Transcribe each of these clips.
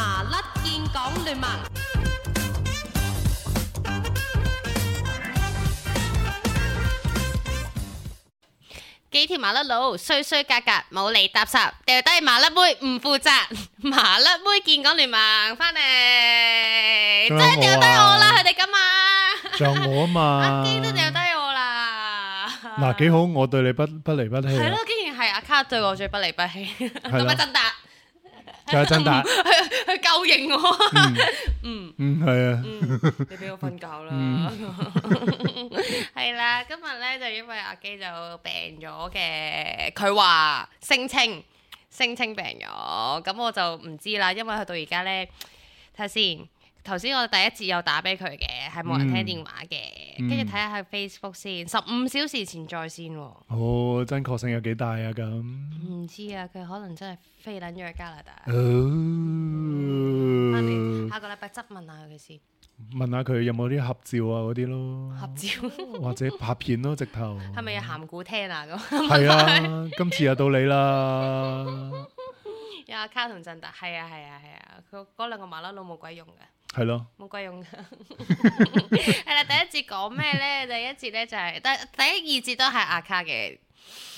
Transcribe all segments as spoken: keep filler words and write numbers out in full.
麻甩見講聯盟。幾條麻甩佬衰衰格格冇嚟搭霎，掉低麻甩妹唔負責，麻甩妹見講聯盟翻嚟，真係掉低我啦！佢哋咁啊，仲有我啊嘛，阿基都掉低我啦。嗱幾好，我對你不不離不棄。係咯，竟然係阿卡對我最不離不棄，咁啊真達，仲有真達，佢佢夠型我。嗯嗯係啊，你俾我瞓覺啦。係啦，今日咧就因為阿基就病咗嘅，佢話聲稱聲稱病咗，咁我就唔知啦，因為佢到而家咧睇下先。頭先我第一節有打俾佢嘅，係冇人聽電話嘅，跟住睇下佢 Facebook 先，十五小時前在線喎。哦，真確性有幾大啊？咁唔知啊，佢可能真係飛撚咗去加拿大。哦，翻嚟下個禮拜質問下佢先。問下佢有冇啲合照啊嗰啲咯，合照或者拍片咯，直頭。係咪有鹹古聽啊？咁係啊，今次又到你啦。有阿卡同振達，係啊係啊係啊，佢嗰兩個麻甩佬冇鬼用嘅。係咯，冇鬼用㗎。係啦，第一節講咩咧？第一節咧就係、是、第第一二節都係阿卡嘅。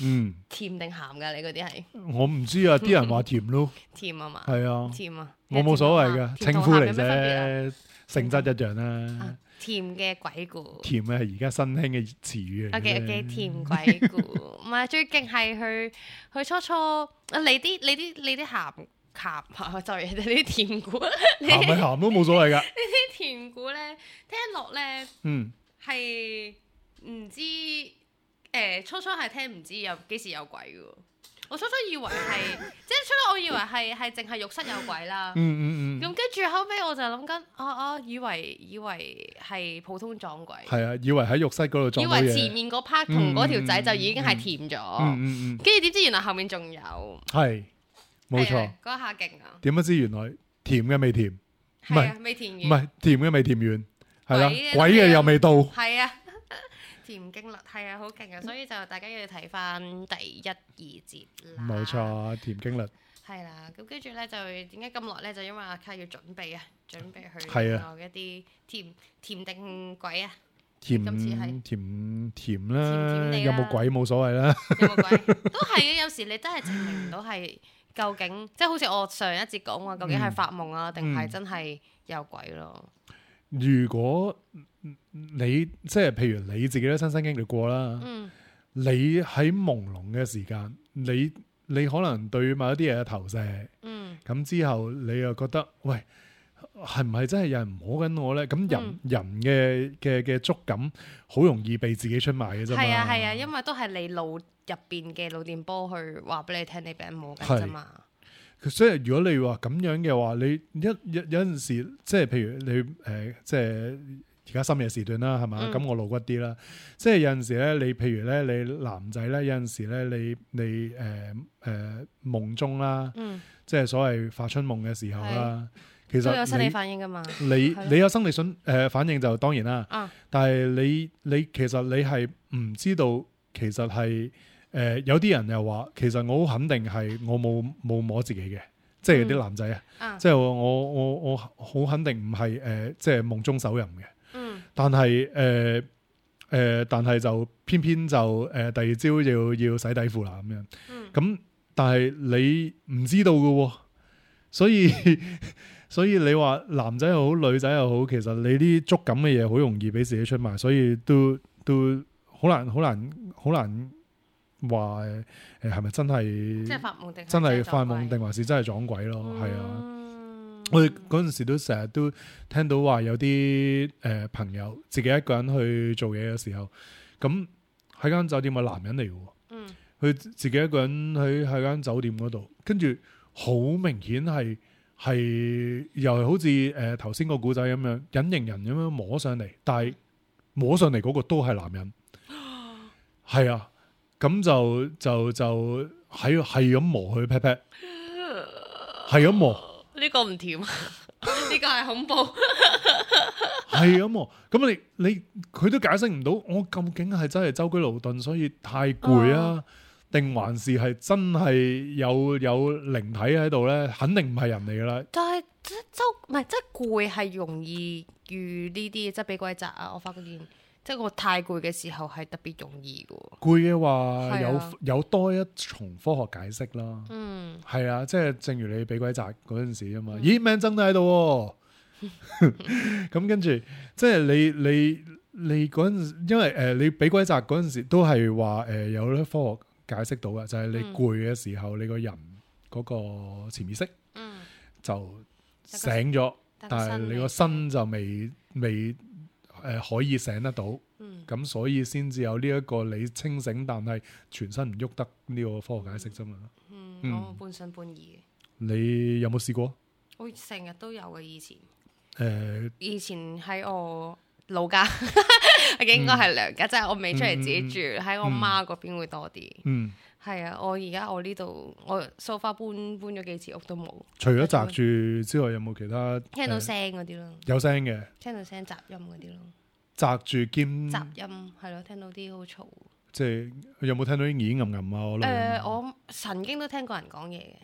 嗯，甜定鹹㗎？你嗰啲係？我唔知啊，啲人話甜咯。甜啊嘛。係啊。甜啊。我冇所謂嘅，稱呼嚟啫，啫，性質一樣啦。啊、甜嘅鬼故。甜嘅係而家新興嘅詞語嚟。O K O K，甜鬼故，唔係最勁係佢佢初初你啲你啲你啲鹹。鹹就係你啲甜股，鹹咪鹹都冇所謂噶。呢啲甜股咧，聽落咧，嗯，係唔知誒、呃、初初係聽唔知有幾時有鬼嘅。我初初以為係，即係初初我以為係係淨係浴室有鬼啦。嗯嗯嗯。咁跟住後尾我就諗緊，啊啊，以為以為係普通撞鬼。係啊，以為喺浴室嗰度撞到嘢。以為前面嗰 part 同嗰條仔就已經係甜咗。嗯嗯嗯。跟住點知原來後面仲有。係。冇錯，嗰下勁啊！點不知原來甜嘅未甜，唔係未甜完，唔係甜嘅未甜完，係啦，鬼嘅又未到，係啊，甜經律係啊，好勁啊！所以就大家要睇翻第一二節啦。冇錯，甜經律係啦。咁跟住咧就點解咁耐咧？就因為阿卡要準備啊，準備去係啊一啲甜甜定鬼啊。甜今次係甜甜啦，有冇鬼冇所謂啦。有冇鬼都係嘅，有時你真係證明唔到係。究竟即係好似我上一節講話，究竟係發夢啊，定係、嗯、真係有鬼咯？如果你即係譬如你自己都親身經歷過啦，嗯、你喺朦朧嘅時間，你你可能對某一啲嘢嘅投射，咁、嗯、之後你又覺得喂，係唔係真係有人摸緊我咧？咁人、嗯、人嘅嘅嘅觸感好容易被自己出賣嘅啫嘛。係啊係啊，因為都係你腦入邊嘅腦電波去話俾你聽，你俾人摸緊啫嘛。所以如果你話咁樣嘅話，你一有有陣時，即係譬如你誒、呃，即係而家深夜時段啦，係嘛？咁、嗯、我露骨啲啦。即係有陣時咧，你譬如咧，你男仔咧，有陣時咧，你你誒誒、呃呃、夢中啦，嗯、即係所謂發春夢嘅時候啦，是其實都有生理反應噶嘛。你你有生理信誒、呃、反應就當然啦，啊、但係你你其實你係唔知道，其實係。誒、呃、有啲人又話，其實我好肯定係我冇冇摸自己嘅，即係啲男仔啊，啊即係我我我好肯定唔係誒，即係夢中手淫嘅。嗯，但係誒誒，但係就偏偏就誒、呃、第二朝要要洗底褲啦咁樣。嗯，咁但係你唔知道嘅喎，所以所以你話男仔又好，女仔又好，其實你啲觸感嘅嘢好容易俾自己出賣，所以都都好難好難好難。話誒係咪真係？即係發夢定真係發夢定還是真係撞鬼咯？係、嗯、啊！我哋嗰陣時都成日都聽到話有啲誒、呃、朋友自己一個人去做嘢嘅時候，咁喺間酒店嘅男人嚟嘅，嗯，佢自己一個人喺喺間酒店嗰度，跟住好明顯係係又係好似誒頭先個古仔咁樣隱形人咁樣摸上嚟，但係摸上嚟嗰個都係男人，係啊。咁就就就喺係咁磨佢 pat pat，係咁磨。呢個唔甜，呢個係恐怖。係咁磨，咁你你佢都解釋唔到，我究竟係真係舟車勞頓，所以太攰啊，定還是係真係有有靈體喺度咧？肯定唔係人嚟噶啦。但係即周唔係即係攰係容易遇呢啲，即係俾鬼責啊！我發覺見即係我太攰嘅時候係特別容易嘅。攰嘅話有、啊、有多一重科學解釋啦。嗯，係啊，即係正如你俾鬼責嗰陣時啊嘛。嗯、咦，命真都喺度喎。咁跟住，即係你你你嗰陣，因為誒、呃、你俾鬼責嗰陣時都係話誒有啲科學解釋到嘅，就係、是、你攰嘅時候，嗯、你個人嗰個潛意識就醒咗，嗯、但係你個身就未未誒、呃、可以醒得到，咁、嗯、所以先至有呢一個你清醒，但係全身唔喐得呢個科學解釋啫嘛。嗯，嗯我半信半疑。你有冇試過？我成日都有嘅，以前。誒，呃、以前喺我老家，應該係娘家，嗯、即係我未出嚟自己住，喺、嗯、我媽嗰邊會多啲。嗯，係啊，我而家我呢度，我 so far 搬搬咗幾次屋都冇。除咗擲住之外，有冇其他聽到聲嗰啲咯？有聲嘅，聽到聲雜音嗰啲咯。擲住兼雜音係咯，聽到啲好嘈。即係有冇聽到啲耳吟吟啊？我誒、呃，我曾經都聽過人講嘢嘅，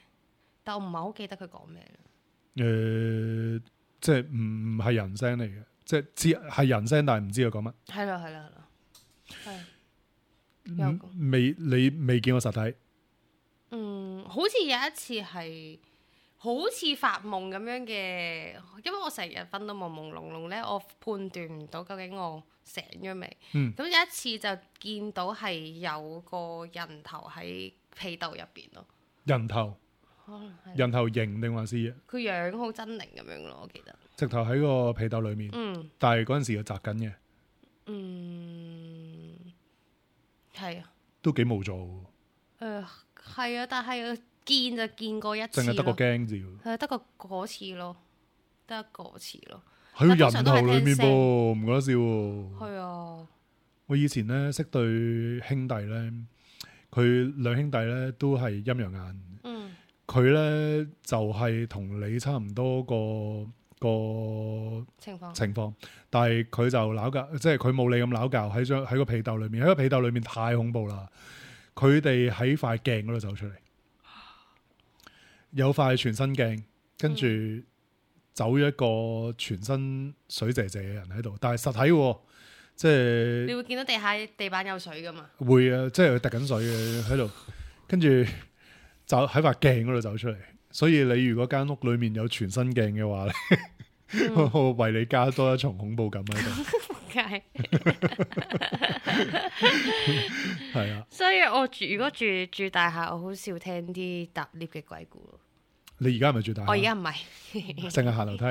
但我唔係好記得佢講咩。誒、呃。即係唔係人聲嚟嘅，即係知係人聲，但係唔知佢講乜。係啦係啦係啦，係。未你未見過實體？嗯，好似有一次係好似發夢咁樣嘅，因為我成日瞓到朦朦朧朧咧，我判斷唔到究竟我醒咗未。嗯。咁有一次就見到係有個人頭喺被竇入邊咯。人頭。人頭型定還是佢樣好猙獰咁樣咯，我記得。直頭喺個被竇裏面，嗯、但係嗰陣時又擲緊嘅。嗯，係啊，都幾無助。誒、呃，係啊，但係見就見過一次，淨係得個驚字。係得個嗰次咯，得嗰次咯。喺個人頭裏面噃，唔覺得笑喎。係啊，我以前咧識對兄弟咧，佢兩兄弟咧都係陰陽眼。嗯。佢咧就係、是、同你差唔多個個情況情況，但係佢就鬧交，即係佢冇你咁鬧交喺張喺個被竇裏面，喺個被竇裏面太恐怖啦！佢哋喺塊鏡嗰度走出嚟，有塊全身鏡，跟住走咗一個全身水謝謝嘅人喺度，但係實體喎，即係你會見到地下地板有水噶嘛？會啊，即係佢滴緊水嘅喺度，跟住。就喺塊鏡嗰度走出嚟，所以你如果間屋裏面有全身鏡嘅話咧，嗯、我為你加多一重恐怖感喺度。係，係啊。所以我住如果住住大廈，我好少聽啲搭 lift 嘅鬼故。你而家係咪住大廈？我而家唔係，淨係行樓梯，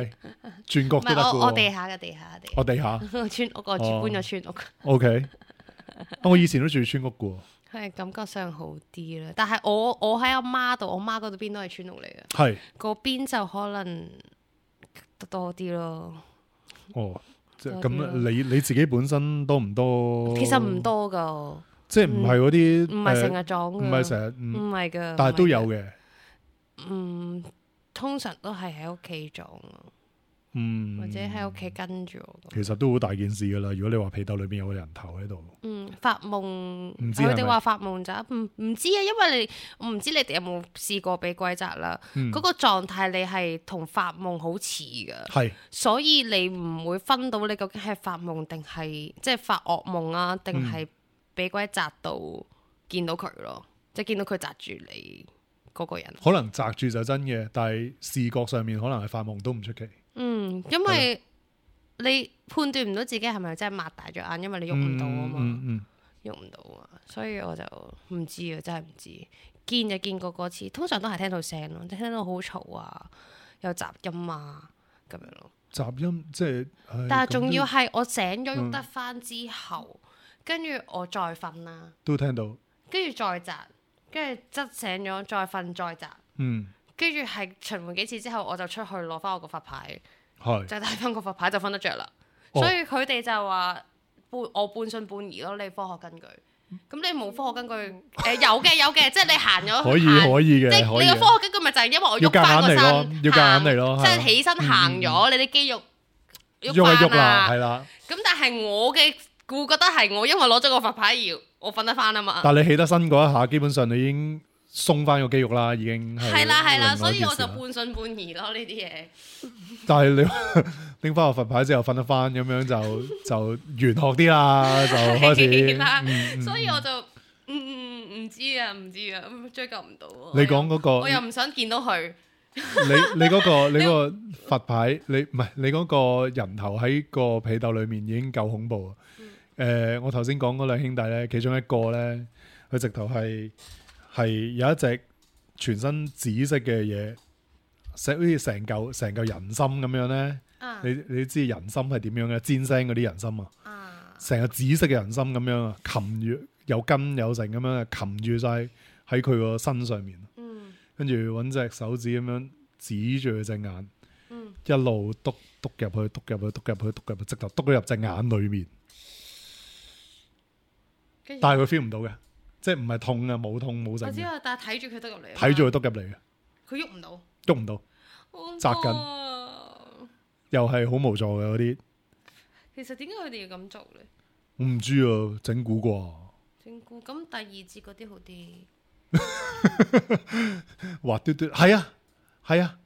轉角都得嘅。我我地下嘅地下地。我地下。村屋我住搬咗村屋。O K，我以前都住村屋嘅。係感覺上好啲啦，但係我我喺阿媽度，我媽嗰度邊都係村屋嚟嘅，係嗰邊就可能多啲咯。哦，即係咁，你你自己本身多唔多？其實唔多噶，即係唔係嗰啲，唔係成日撞，唔係成日，唔係噶，但係都有嘅。嗯，通常都係喺屋企撞。嗯，或者喺屋企跟住我，其實都好大件事噶啦。如果你話被竇裏邊有個人頭喺度，嗯，發夢，佢哋話發夢就唔唔知啊，因為你我唔知你哋有冇試過俾鬼責啦。嗰、嗯、個狀態你係同發夢好似噶，係是，所以你唔會分到你究竟係發夢定係即係發噩夢啊，定係俾鬼責到見到佢咯，即係見到佢責住你嗰個人。可能責住就真嘅，但係視覺上面可能係發夢都唔出奇。嗯，因為你判斷唔到自己係咪真係擘大咗眼，因為你喐唔到啊嘛，喐唔到啊，所以我就唔知啊，真係唔知。見就見過嗰次，通常都係聽到聲咯，聽到好嘈啊，有雜音啊咁樣咯。雜音即係，但係仲要係我醒咗喐得翻之後，跟住、嗯、我再瞓啦，都聽到，跟住再擲，跟住側醒咗再瞓再擲，嗯。跟住係循環幾次之後，我就出去攞翻我個佛牌，是就帶翻個佛牌就瞓得着啦。哦、所以佢哋就話半我半信半疑咯。你科學根據，咁你冇科學根據，誒、呃、有嘅有嘅，即係你行咗可以可以嘅，即係你個科學根據咪就係因為我喐翻個身，要夾硬嚟咯，即係起身行咗，嗯、你啲肌肉喐一喐啦，係啦。咁但係我嘅會覺得係我因為攞咗個佛牌而我瞓得翻啊嘛。但係你起得身嗰一下，基本上你已經鬆翻個肌肉啦，已經係啦係啦，所以我就半半信半疑咯呢啲嘢。但係你拎翻個佛牌之後瞓得翻，咁樣就就玄學啲啦，就開始啦。嗯、所以我就唔唔唔知啊，唔知啊，追究唔到。你講嗰個，我又唔想見到佢。你你嗰個你個佛牌，你唔係你嗰個人頭喺個被竇裏面已經夠恐怖啊！誒、嗯呃，我頭先講嗰兩兄弟咧，其中一個咧，佢直頭係係有一隻全身紫色嘅嘢，成好似成嚿成嚿人參咁樣咧。啊、你你知人參係點樣嘅？煎腥嗰啲人參啊，成個紫色嘅人參咁樣啊，擒住有根有成咁樣啊，擒住晒喺佢個身上面。跟住揾隻手指咁樣指住佢隻眼，嗯、一路篤篤入去，篤入去，篤入去，篤入去，直頭篤咗入隻眼裏面。但係佢 feel 唔到嘅，即係唔係痛啊，冇痛冇成。我知啊，但係睇住佢篤入嚟。睇住佢篤入嚟嘅。佢喐唔到。喐唔到。扎緊。又係好無助嘅嗰啲。其實點解佢哋要咁做咧？我唔知啊，整蠱啩。整蠱咁第二節嗰啲好啲。滑嘟嘟係啊係啊，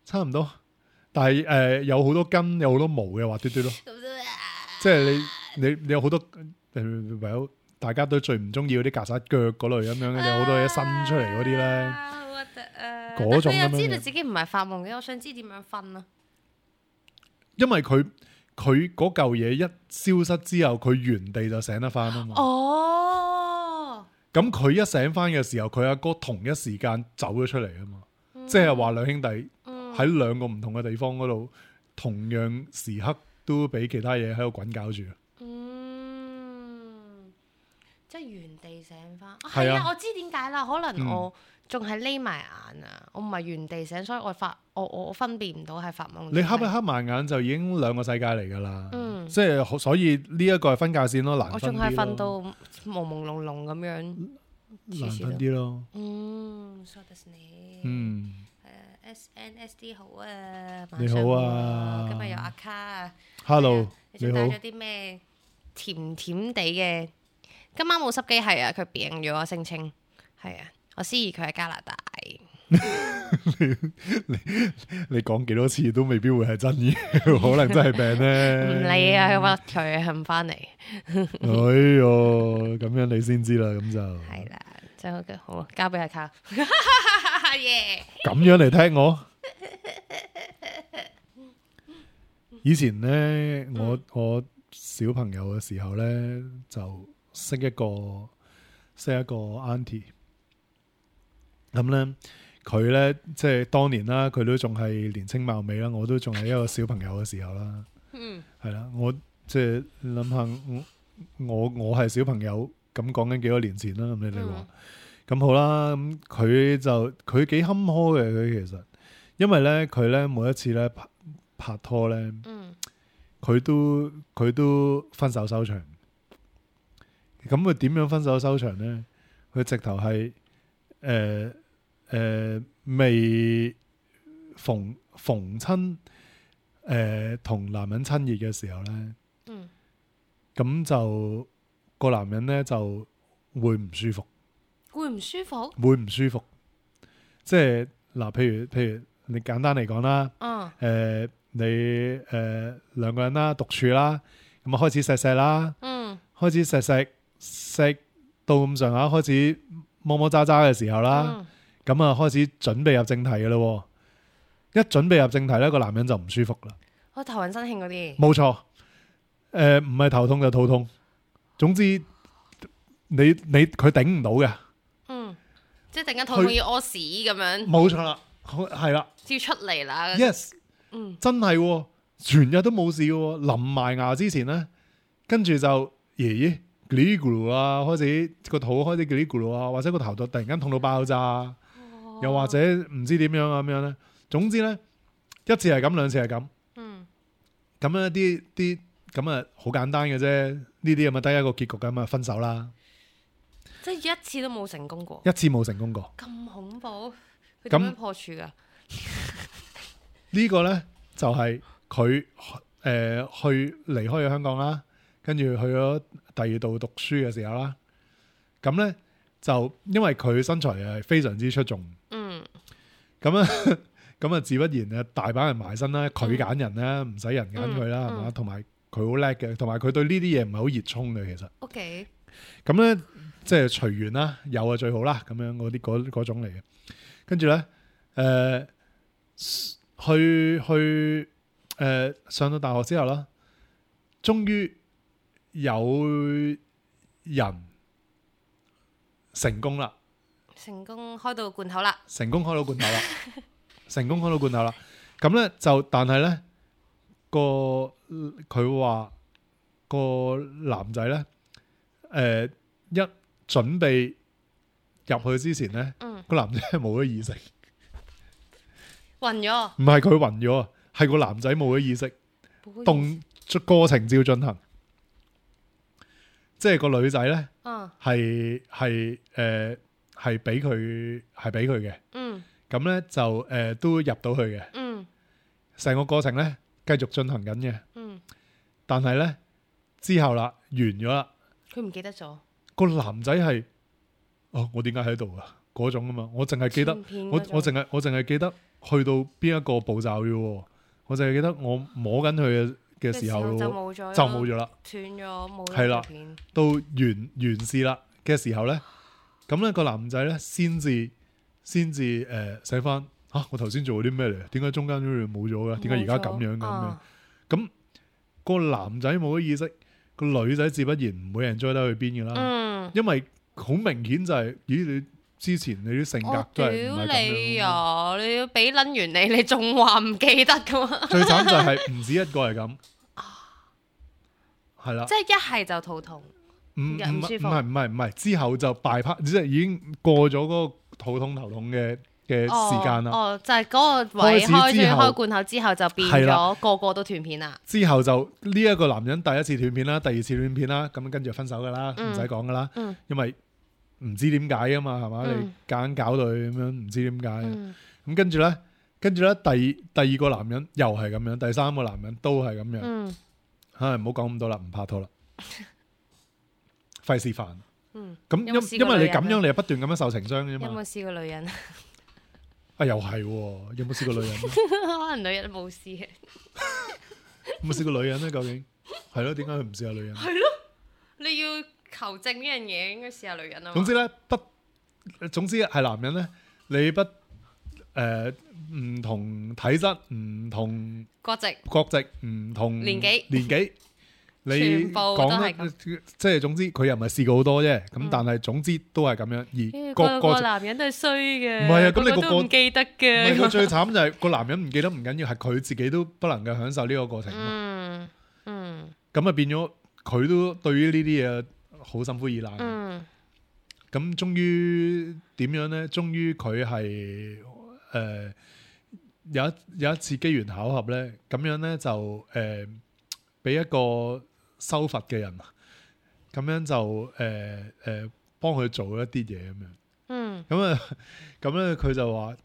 差唔多，但係誒、呃、有好多根有好多毛嘅滑嘟嘟咯，即係你你你有好多誒，唯有大家都最唔中意嗰啲曱甴腳嗰類咁樣嘅，有好多嘢伸出嚟嗰啲咧，好核突啊！嗰種咁樣。但係又知道自己唔係發夢嘅，我想知點樣分啊？因為佢佢嗰嚿嘢一消失之後，佢原地就醒得翻啊嘛。哦。咁佢一醒翻嘅時候，佢阿哥同一時間走咗出嚟啊嘛，嗯、即係話兩兄弟喺兩個唔同嘅地方嗰度，同樣時刻都俾其他嘢喺度滾搞住。嗯，即係原地醒翻。係啊，啊，我知點解啦，可能我仲係匿埋眼啊，我唔係原地醒，所以我發我我分辨唔到係發夢。你瞌一瞌埋眼就已經兩個世界嚟噶啦，嗯、即係所以呢一個係分界線咯，難分啲咯。我仲係瞓到朦朦朧朧咁樣，難分啲咯。嗯，そうですね。嗯。誒 ，S N S D 好啊，你好啊，今日有阿卡。Hello，你好。你帶咗啲咩甜甜地嘅？今晚冇濕機係啊，佢病咗啊，聲稱係啊。我思疑佢喺加拿大。你你你講幾多次都未必會係真嘅，可能真係病咧。唔理啊，屈佢肯翻嚟。哎喲，咁樣你先知啦，咁就係啦，真係好，交俾阿卡。耶！咁樣嚟聽我。以前咧，我我小朋友嘅時候咧，就識一個識一個 auntie。咁咧，佢咧即係當年啦，佢都仲係年青貌美啦，我都仲係一個小朋友嘅時候啦。嗯，係啦，我即係諗下，我我係小朋友，咁講緊幾多年前啦。咁你哋話，咁、嗯、好啦，咁佢就佢幾坎坷嘅，佢其實，因為咧佢咧每一次咧拍拍拖咧，佢、嗯、都佢都分手收場。咁佢點樣分手收場咧？佢直頭係誒。呃誒、呃，未逢逢親誒同男人親熱嘅時候咧，咁、嗯、就個男人咧就會唔舒服，會唔舒服，會唔舒服。即係嗱，譬如譬如你簡單嚟講啦，誒、嗯呃、你誒兩、呃、個人啦，獨處啦，咁啊開始錫錫啦，嗯、開始錫錫錫到咁上下，開始摸摸渣渣嘅時候啦。嗯咁啊，開始準備入正題嘅咯，一準備入正題咧，個男人就唔舒服啦。我頭暈身㷫嗰啲，冇錯。誒、呃，唔係頭痛就肚痛，總之你你佢頂唔到嘅。嗯，即係突然間肚痛要屙屎咁樣。冇錯啦，係啦，要出嚟啦。Yes，嗯，真係，全日都冇事嘅，臨埋牙之前咧，跟住就爺爺嘰哩咕嚕啊，開始個肚開始嘰哩咕嚕啊，或者個頭度突然間痛到爆炸。又或者唔知點樣啊咁樣咧，總之咧一次係咁，兩次係咁，嗯，咁樣啲啲咁啊好簡單嘅啫，呢啲咁啊得一個結局咁啊分手啦，即係一次都冇成功過，一次冇成功過，咁恐怖，佢點樣破處噶？呢個咧就係佢誒去離開咗香港啦，跟住去咗第二度讀書嘅時候啦，咁咧就因為佢身材係非常之出眾，嗯，咁啊咁啊自不然啊大把人埋身啦，佢揀人啦，唔使人揀佢啦，係嘛、嗯？同埋佢好叻嘅，同埋佢對呢啲嘢唔係好熱衷嘅，其實。OK，咁咧即係隨緣啦，有啊最好啦，咁樣嗰啲嗰嗰種嚟嘅。跟住咧，誒、呃、去去誒、呃、上到大學之後啦，終於有人成功啦，成功開到罐頭啦，成功開到罐頭啦，成功開到罐頭啦。咁咧就，但係咧個佢話個男仔咧，誒、呃、一準備入去之前咧，嗯，個男仔係冇咗意識，暈咗，唔係佢暈咗啊，係個男仔冇咗意識，動過程照進行，即係個女仔咧，嗯係係誒係俾佢係俾佢嘅，嗯咁咧就誒、呃、都入到去嘅，嗯成個過程咧繼續進行緊嘅，嗯，但係咧之後啦完咗啦，佢唔記得咗，個男仔係哦我點解喺度啊嗰種啊嘛，我淨係記得我我淨係我淨係記得去到邊一個步驟嘅喎，我淨係記得我摸緊佢嘅嘅時候就冇咗，就冇咗啦，斷咗冇咗係啦條片，到完完事啦嘅時候咧，咁咧個男仔咧先至先至誒寫翻嚇我頭先做咗啲咩嚟？點解中間都冇咗嘅？點解而家咁樣嘅咁樣？咁個男仔冇咗意識，個女仔自不然唔會 enjoy 得去邊嘅啦，嗯，因為好明顯就係咦你之前你啲性格都係唔係咁屌你樣。啊！你要俾撚完你，你仲話唔記得噶嘛？最慘就係唔止一個係咁，係啦，即係一係就肚痛，唔唔唔唔舒服係唔係唔係，之後就 bypass，即係已經過咗嗰個肚痛頭痛嘅嘅時間啦。哦，就係嗰個位開始開之後咗開罐頭之後就變係啦咗個個都斷片啦。之後就呢一個男人第一次斷片啦，第二次斷片啦，咁跟住分手噶啦，唔使講噶啦，嗯因為唔知點解啊嘛，係嘛？嗯你夾硬搞到佢咁樣，唔知點解。嗯咁跟住咧，跟住咧，第第二個男人又係咁樣，第三個男人都係咁樣。嗯唉，唔好講咁多啦，唔拍拖啦，費事煩。嗯，咁有冇試因因為你咁樣，過女人啊你係不斷咁樣受情傷嘅啫有冇嘛。試過女人？啊，又係喎，有冇試過女人咧？可能女人冇試嘅。有冇試過女人咧？究竟係咯？點解佢唔試下女人？係咯，你要求證呢樣嘢，應該試下女人啊嘛。總之咧，不總之係男人咧，你不誒唔同體質、唔同國籍國籍、唔同年紀年紀，你全部都講係得即係總之佢又唔係試過好多啫。咁嗯但係總之都係咁樣，而個個個個男人都係衰嘅，唔係啊咁你個個都唔記得唔係嘅。佢最慘就係個男人唔記得唔緊要，係佢自己都不能夠享受呢個過程。嗯嗯咁啊變咗佢都對於呢啲嘢好心灰意冷。嗯咁終於點樣咧？終於佢係誒有一有一次機緣巧合咧，咁樣咧就誒俾、一個修佛嘅人，咁樣就誒誒幫佢做一啲嘢咁樣。嗯，咁啊咁咧佢就話，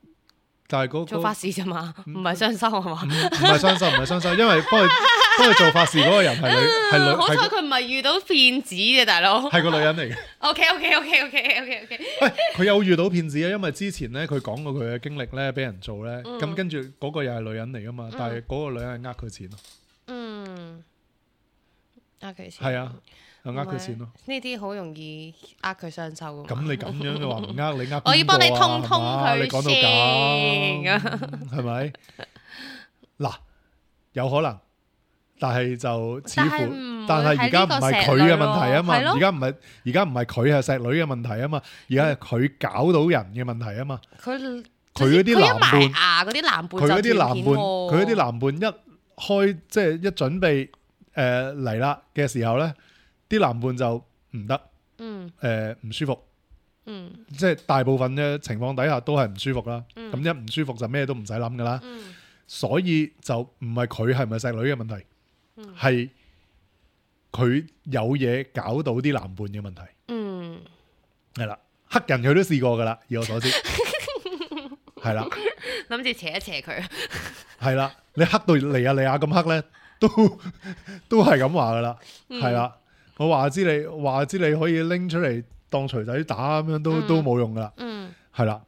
但係嗰、做法事啫嘛，唔係雙修係嘛唔？唔係雙修，唔係雙修，因為幫佢幫佢做法事嗰個人係女係女好彩係佢唔係遇到騙子嘅大佬。係個女人嚟嘅。 OK OK OK OK OK OK。喂，佢有遇到騙子啊，因為之前咧佢講過佢嘅經歷咧，俾人做咧，咁、嗯跟住嗰個又係女人嚟噶嘛，但係嗰個女人係呃佢錢咯，嗯，呃佢錢。係啊，又呃佢錢咯。呢啲好容易呃佢雙收噶咁嘛。你咁樣嘅話唔呃你呃邊個啊？我要幫你通通係嘛佢你講到咁係咪？嗱，有可能，但係就似乎，但係而家唔係佢嘅問題啊嘛，而家唔係而家唔係佢係石女嘅問題啊嘛，而家係佢搞到人嘅問題啊嘛。佢佢嗰啲男伴，牙嗰啲男伴，佢嗰啲男伴，佢嗰啲男伴一開即係一準備誒嚟啦嘅時候咧，啲男伴就唔得，嗯誒唔舒服，嗯即係大部分嘅情況底下都係唔舒服啦。嗯咁一唔舒服就咩都唔使諗噶啦，嗯所以就唔係佢係咪石女嘅問題，嗯係佢有嘢搞到啲男伴嘅問題。嗯，係啦，黑人佢都試過噶啦，以我所知，係啦。諗住斜一斜佢。係啦，你黑到嚟啊嚟啊咁黑咧，都都係咁話噶啦，嗯係啦、我話知你話知你可以拎出嚟當錘仔打咁樣都、嗯都冇用噶啦，嗯，係啦。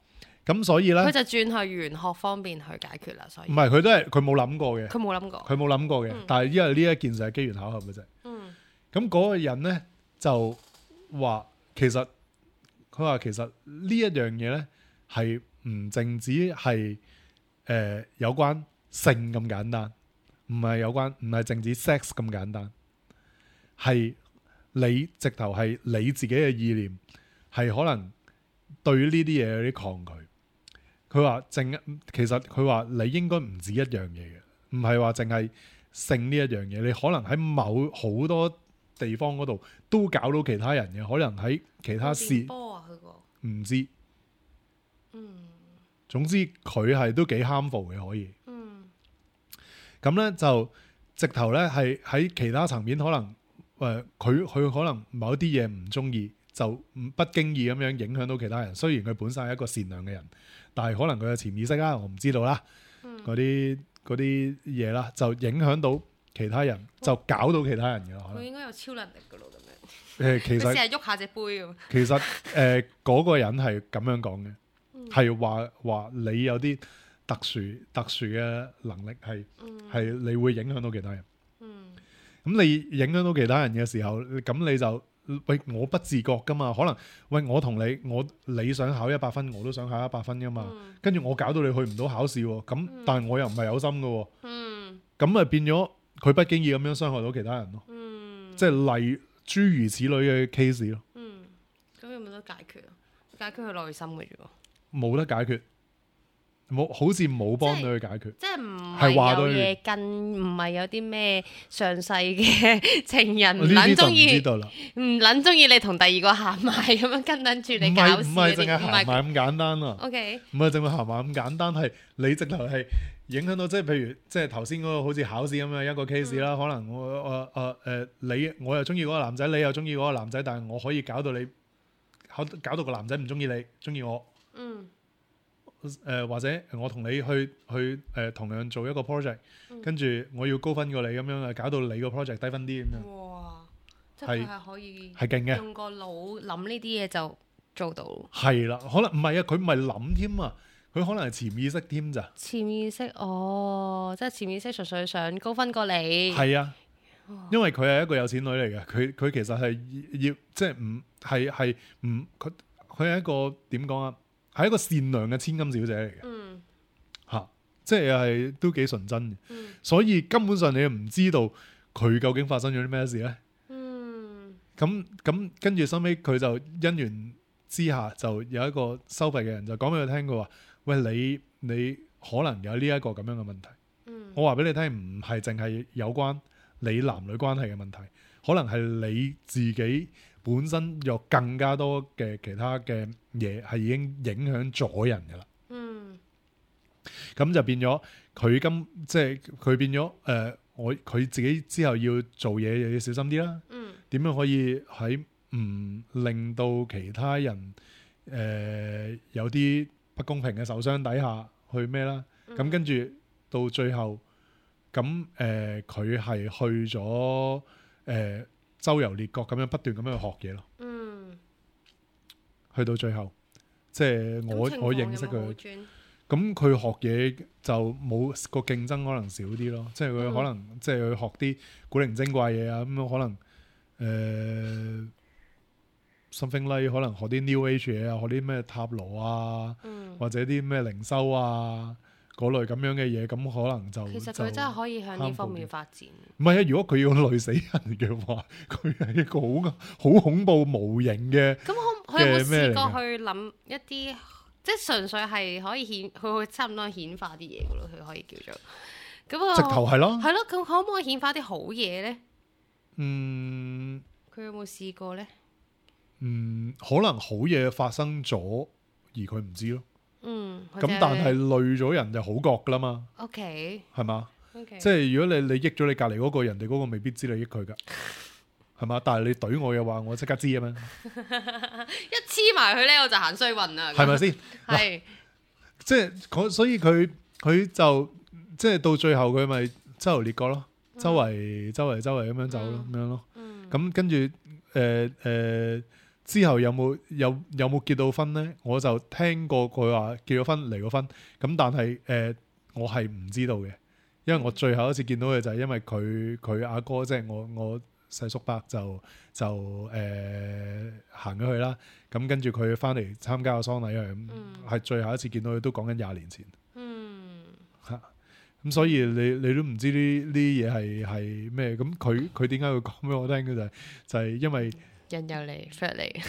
咁所以咧，佢就轉去玄學方面去解決啦，所以唔係佢都係佢冇諗過嘅，佢冇諗過。佢冇諗過嘅。嗯但係因為呢一件事係機緣巧合嘅啫。嗯咁嗰個人咧就話其實佢話其實呢一樣嘢咧係唔淨止係誒、呃、有關性咁簡單，唔係有關唔係淨止 sex 咁簡單，係你直頭係你自己嘅意念係可能對於呢啲嘢有啲抗拒。佢話淨其實佢話你應該唔止一樣嘢嘅，唔係話淨係性呢一樣嘢，你可能喺某好多地方嗰度都搞到其他人嘅，可能喺其他事電波啊，佢個唔知。嗯總之佢係都幾 harmful 嘅，可以。嗯咁咧就直頭咧係喺其他層面可能誒佢佢可能某啲嘢唔中意，就唔不經意咁樣影響到其他人。雖然佢本身係一個善良嘅人，但係可能佢嘅潛意識啦，我唔知道啦。嗰啲嗰啲嘢啦，就影響到其他人，就搞到其他人嘅可能。佢應該有超能力噶咯，咁樣。誒其實佢成日喐下隻杯咁。其實誒嗰個人係咁樣講嘅，嗯係話話你有啲特殊特殊嘅能力係係你會影響到其他人。嗯咁你影響到其他人嘅時候，咁你就喂我不自覺噶嘛，可能喂我同你我你想考一百分，我都想考一百分噶嘛，嗯跟住我搞到你去唔到考試喎，咁但係我又唔係有心噶喎，嗯咁咪變咗佢不經意咁樣傷害到其他人咯，嗯，即係例諸如此類嘅 case 咯，嗯，咁有冇得解決啊？解決佢內心嘅啫喎，冇得解決，冇好似冇幫到佢解決。即係唔係話係有對嘢跟，唔係有啲咩上世嘅情人唔呢啲就唔知撚中意，道啦，唔撚中意你同第二個行埋咁樣跟撚住唔你搞係唔係事嗰啲，淨係行埋咁簡單啊！ O K，唔係淨係行埋咁簡單，係你直頭係影響到，即係譬如即係頭先嗰個好似考試咁樣一個 case 啦、嗯。可能我誒誒誒你我又中意嗰個男仔，你又中意嗰個男仔，但係我可以搞到你搞搞到個男仔唔中意你，中意我嗯誒、呃、或者我同你去去誒、呃、同樣做一個 project，嗯跟住我要高分過你咁樣啊，搞到你個 project 低分啲咁樣，哇！即係係佢係可以係勁嘅，用個腦諗呢啲嘢就做到。係啦，可能唔係啊，佢唔係諗添啊，佢可能係潛意識添咋，潛意識哦，即係潛意識純粹想高分過你。係啊。因為佢係一個有錢女嚟嘅，佢佢其實係要即係唔係係唔佢佢係一個點講啊？係一個善良嘅千金小姐嚟嘅嗯嚇，即係係都幾純真嘅，嗯所以根本上你唔知道佢究竟發生咗啲咩事咧。嗯咁咁跟住收尾佢就因緣之下就有一個收費嘅人就講俾佢聽，佢話：喂，你你可能有呢一個咁樣嘅問題。嗯我話俾你聽，唔係淨係有關你男女關係嘅問題，可能係你自己本身有更加多嘅其他嘅嘢係已經影響咗人㗎啦。嗯咁就變咗佢今即係佢變咗誒、呃，我佢自己之後要做嘢又要小心啲啦。嗯點樣可以喺唔令到其他人誒、呃、有啲不公平嘅受傷底下去咩啦？咁、嗯跟住到最後。咁誒，佢、呃、係去咗誒、呃、周遊列國咁樣不斷咁樣去學嘢咯。嗯，去到最後，即係我咁情況我認識佢有冇好，轉咁佢學嘢就冇個競爭可能少啲咯。即係佢可能、嗯、即係去學啲古靈精怪嘢啊，咁樣可能誒、呃、something like 可能學啲 New Age 嘢啊，學啲咩塔羅啊，嗯，或者啲咩靈修啊。嗰類咁樣嘅嘢，咁可能就其實佢真係可以向呢方面發展。唔係啊！如果佢要累死人嘅話，佢係一個好好恐怖無形嘅。咁可佢有冇試過嘅去諗一啲，即係純粹係可以顯，佢會差唔多顯化啲嘢嘅咯，佢可以叫做咁啊。直頭係咯，係咯，咁可唔可以顯化啲好嘢咧？嗯佢有冇試過咧？嗯，可能好嘢發生咗，而佢唔知咯。嗯，咁但係累咗人就好覺噶啦嘛， OK 係嘛？ OK，即係如果你你益咗你隔離嗰個，人哋嗰個未必知你益佢噶，係嘛？但係你懟我嘅話，我即刻知啊嘛，一黐埋佢咧，我就行衰運啦，係咪先？係即係佢，所以佢佢就即係到最後佢咪周遊列國咯，周圍周圍周圍咁樣走咯，咁樣咯。嗯咁跟住誒誒之後有冇有有冇結到婚咧？我就聽過佢話結咗婚離過婚，咁但係誒、呃、我係唔知道嘅，因為我最後一次見到佢就係因為佢佢阿哥即係我我細叔伯就就誒、呃、行咗去啦，咁跟住佢翻嚟參加個喪禮啊，係、嗯、最後一次見到佢都講緊廿年前。嗯，嚇咁、嗯、所以你你都唔知呢呢嘢係係咩？咁佢佢點解會講俾我聽嘅就係、就係、因為。引誘你 friend 你，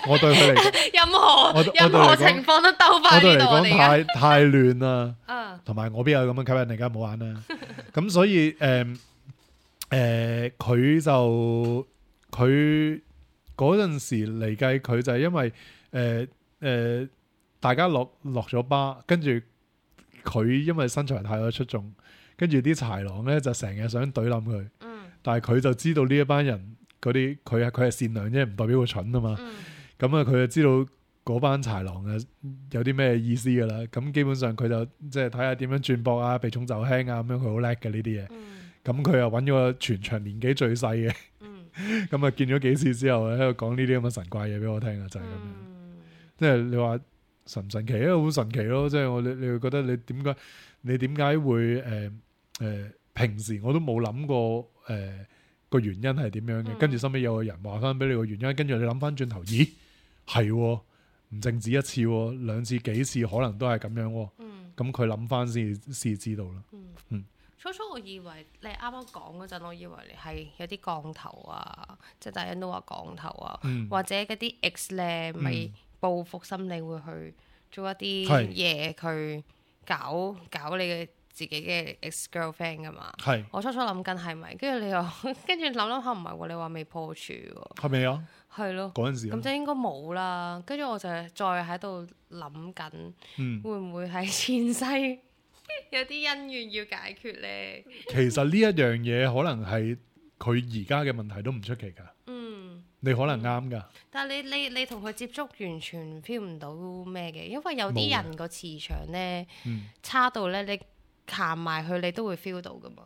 我對佢嚟講，任何任何情況都兜翻呢度。我對嚟講太太亂啦，同埋、uh. 我邊有咁樣吸引力㗎，冇玩啦。咁所以誒誒，佢、呃、就佢嗰陣時嚟計，佢就係因為誒誒、呃呃，大家落落咗巴，跟住佢因為身材太過出眾，跟住啲豺狼咧就成日想懟冧佢，嗯、但係佢就知道呢一班人。嗰啲佢係佢係善良啫，唔代表佢蠢啊嘛。咁啊、嗯，佢就知道嗰班豺狼啊有啲咩意思噶啦。咁基本上佢就即係睇下點樣轉博啊，避重就輕啊，咁樣佢好叻嘅呢啲嘢。咁佢又揾咗個全場年紀最細嘅。咁啊、嗯、見咗幾次之後喺度講呢啲咁嘅神怪嘢俾我聽啊，就係、是、咁樣。嗯、即係你話神唔神奇啊？好神奇咯！即係我你你會覺得你點解你點解會誒誒、呃呃、平時我都冇諗過誒。呃個原因係點樣嘅？跟住收尾有個人話翻俾你個原因，跟住你諗翻轉頭，咦係唔淨止一次，兩次幾次可能都係咁樣。咁佢諗翻先先知道啦。嗯嗯、初初我以為你啱啱講嗰陣，我以為你係有啲降頭啊，即係大人都話降頭啊，嗯、或者嗰啲 X 咧咪報復心理會去做一啲嘢，去搞搞你嘅。自己嘅 ex girlfriend 噶嘛，係我初初諗緊係咪，跟住你又跟住諗諗下唔係喎，你話未破處喎，係咪啊？係咯，嗰陣時咁就應該冇啦。跟住我就再喺度諗緊，嗯、會唔會係前世有啲恩怨要解決咧？其實呢一樣嘢可能係佢而家嘅問題都唔出奇㗎。嗯，你可能啱㗎、嗯。但係你你你同佢接觸完全 feel 唔到咩嘅，因為有啲人個磁場咧、嗯、差到咧你。行埋去你都會 feel 到噶嘛？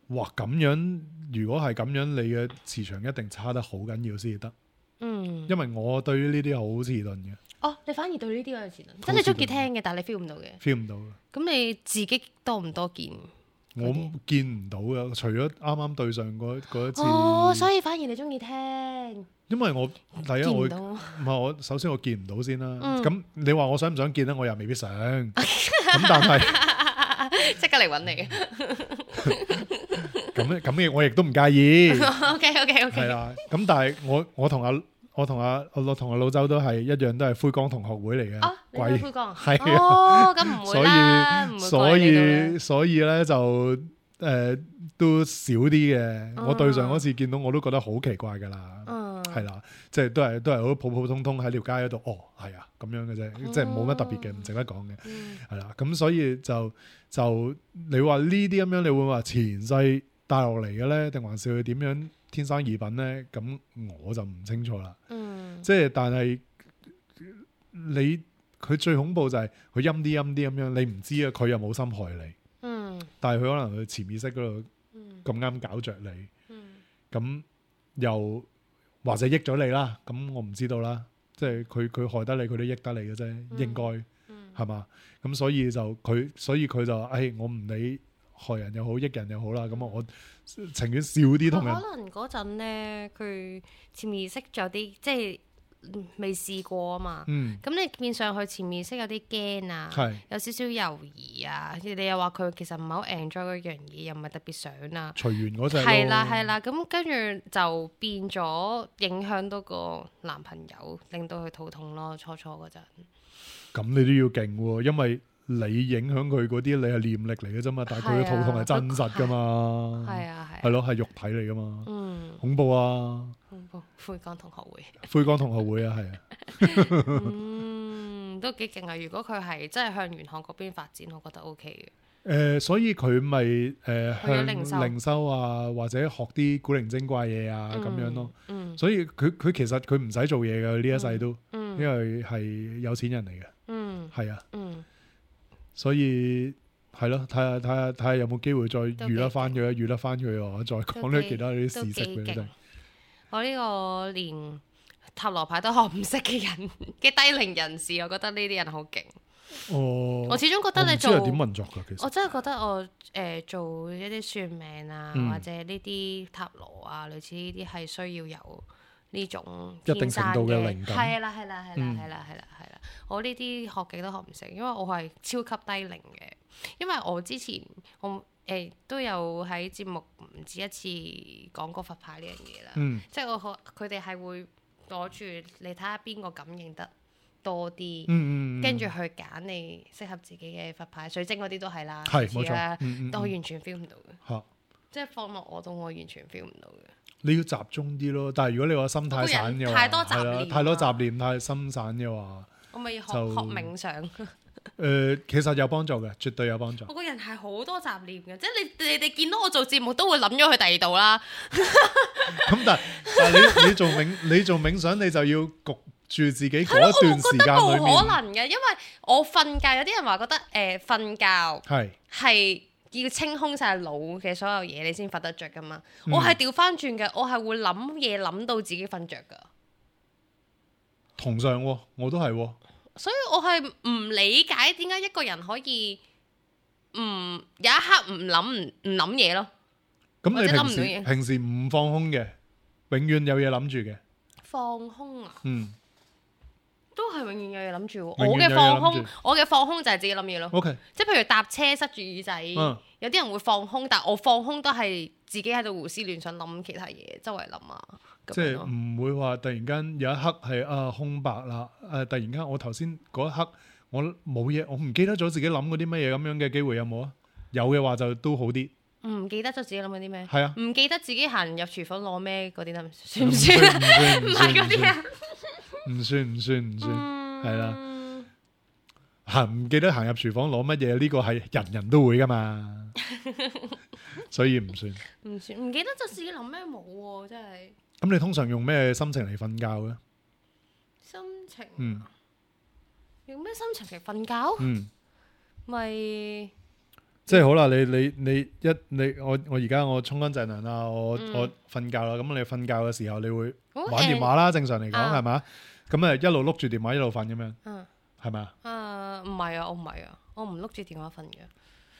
哇！咁樣如果係咁樣，你嘅磁場一定差得好緊要先至得。嗯，因為我對於呢啲好遲鈍嘅。哦，你反而對呢啲有遲鈍，真係中意聽嘅，但係你 feel 唔到嘅。feel 唔到。咁你自己多唔多見？我見唔到嘅，除咗啱啱對上嗰嗰一次。哦，所以反而你中意聽。因為我第一我唔係我首先我見唔到先啦。咁、嗯、你話我想唔想見咧？我又未必想。咁但係。即刻嚟揾你，咁咁嘅我亦都唔介意。OK OK OK。係啦，咁但係我我同阿我同阿我同阿老周都係一樣，都係灰光同學會嚟嘅。哦，你係灰光？係啊。哦，咁唔會啦，唔會。所以所以咧就誒都少啲嘅。我對上嗰次見到我都覺得好奇怪噶啦。嗯，係啦，即係都係都係好普普通通喺條街嗰度。哦，係啊，咁樣嘅啫，即係冇乜特別嘅，唔值得講嘅。係啦，咁所以就。就你話呢啲咁樣，你會話前世帶落嚟嘅咧，定還是佢點樣天生異稟咧？咁我就唔清楚啦。嗯，即係但係你佢最恐怖就係佢陰啲陰啲咁樣，你唔知啊，佢又冇心害你。嗯，但係佢可能佢潛意識嗰度咁啱搞着你。嗯，咁又或者益咗你啦。咁我唔知道啦。即係佢佢害得你，佢都益得你嘅啫，嗯、應該。係嘛？咁所以就佢，所以佢就誒、哎，我唔理害人又好，益人又好啦。咁啊，我情願少啲同人。可能嗰陣咧，佢潛意識有啲即係未試過啊嘛。嗯。咁你變上去潛意識有啲驚啊，是有少少猶豫啊。你又話佢其實唔係好 enjoy 嗰樣嘢，又唔係特別想啊。隨緣嗰隻。係啦係啦，咁跟住就變咗影響到個男朋友，令到佢肚痛咯。初初嗰陣。咁你都要勁喎，因為你影響佢嗰啲，你係念力嚟嘅啫嘛，但係佢嘅肚痛係真實噶嘛，係啊係，係咯係肉體嚟噶嘛，嗯，恐怖啊，恐怖，灰光同學會，灰光同學會啊，係啊，嗯，都幾勁啊！如果佢係真係向玄學嗰邊發展，我覺得 OK 嘅。誒、呃，所以佢咪誒向靈修啊，或者學啲古靈精怪嘢啊咁、嗯、樣咯。嗯、所以佢佢其實佢唔使做嘢嘅呢一世都，嗯、因為係有錢人嚟嘅。嗯，係啊。嗯，所以係咯，睇下睇下睇下有冇機會再都幾遇得翻佢，遇得翻佢啊，再講啲幾其他啲都事蹟俾你幾勁聽。我呢個連塔羅牌都學唔識嘅人嘅低齡人士，我覺得呢啲人好勁。哦，我始終覺得你我唔知做係點運作㗎，其實我真係覺得我誒、呃、做一啲算命啊，嗯或者呢啲塔羅啊，類似呢啲係需要有呢種一定天生程度嘅靈感係啦係啦係啦嗯係啦係啦係啦。我呢啲學極都學唔成，因為我係超級低齡嘅。因為我之前我誒、呃、都有喺節目唔止一次講過佛牌呢樣嘢啦，嗯即係我學佢哋係會攞住你睇下邊個感應得多啲。嗯嗯，跟住去揀你適合自己嘅佛牌，水晶嗰啲都係啦，係冇錯類似啦，嗯嗯但我完全 feel 唔到嘅，嚇。即係放落我度，我完全 feel 唔到嘅。你要集中啲咯，但係如果你話心太散嘅話，我個人太多雜係啦念太多啊雜念，太心散嘅話，我咪要學就學冥想。誒其實有幫助嘅，絕對有幫助。我個人係好多雜念嘅，即係你你哋見到我做節目都會諗咗去第二度啦。咁但係但係你你做冥你做冥想，你就要焗住自己嗰一段時間裏冇可面，能嘅，因為我瞓覺有啲人話覺得誒瞓覺係係要清空晒腦嘅所有嘢，你先瞓得着噶嘛。嗯我係調翻轉嘅，我係會諗嘢諗到自己瞓着噶。同上喎，我都係喎。所以我係唔理解點解一個人可以唔有一刻唔諗唔唔諗嘢咯。咁你或者諗唔平時到嘢平時唔放空嘅，永遠有嘢諗住嘅，放空啊，嗯都係永遠有嘢諗住喎。永我遠有嘢嘅放空諗住，我嘅放空就係自己諗嘢咯。 ，OK，即係譬如搭車塞住耳仔，嗯有啲人會放空，但我放空都係自己喺度胡思亂想諗其他嘢，周圍諗啊。咁即係樣咯唔會話突然間有一刻係啊空白啦，誒、突然間我頭先嗰一刻我冇嘢，我唔記得咗自己諗嗰啲乜嘢咁樣嘅機會有冇啊？有嘅話就都好啲，唔記得咗自己諗緊啲咩？係啊，唔記得自己行入廚房攞咩嗰啲得唔唔算唔算啊？唔算唔係唔算嗰啲啊。唔算唔算唔算，係啦、嗯行唔記得行入廚房攞乜嘢呢個係人人都會噶嘛，所以唔算。唔算，唔記得咗自己諗咩冇喎，真係咁你通常用咩心情嚟瞓覺嘅？心情啊。嗯用咩心情嚟瞓覺？嗯，咪即係好啦，你你你一你我我而家我沖乾淨涼啦，我、嗯我瞓覺啦。咁你瞓覺嘅時候，你會好玩電話啦，正常嚟講啊係嘛？咁誒一路碌住電話一路瞓咁樣，嗯係咪啊？啊唔係啊，我唔係啊，我唔碌住電話瞓嘅。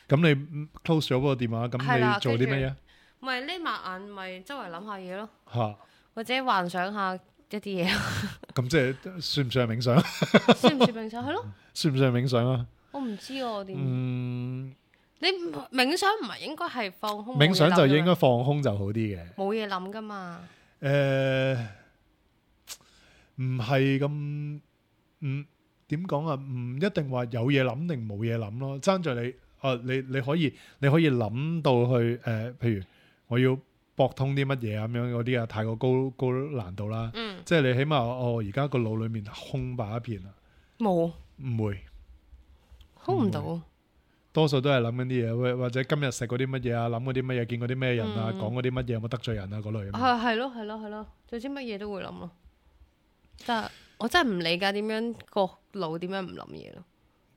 咁你 close 咗嗰個電話，係咁啦你做啲乜嘢？咪匿埋眼，咪周圍諗下嘢咯，嚇，或者幻想下一啲嘢，咁即係算唔算係冥想？算唔算冥想？係咯，算唔算係冥想啊？我唔知我點。嗯，你冥想唔係應該係放空？冥想就應該該放空就好啲嘅。冇嘢諗噶嘛。誒，唔係咁，嗯，點講啊？唔一定話有嘢諗定冇嘢諗咯，爭在你，啊，你你可以你可以諗到去誒，譬如我要駁通啲乜嘢咁樣嗰啲啊，太過高高難度啦。嗯，即係你起碼我而家個腦裡面空白一片啊，冇唔會，空唔到。多數都係諗緊啲嘢，或或者今日食嗰啲乜嘢啊，諗嗰啲乜嘢，見過啲咩人啊，嗯講嗰啲乜嘢，有冇得罪人啊嗰類咁樣。係係咯係咯係咯，總之乜嘢都會諗咯。但係我真係唔理解點樣個腦點樣唔諗嘢咯。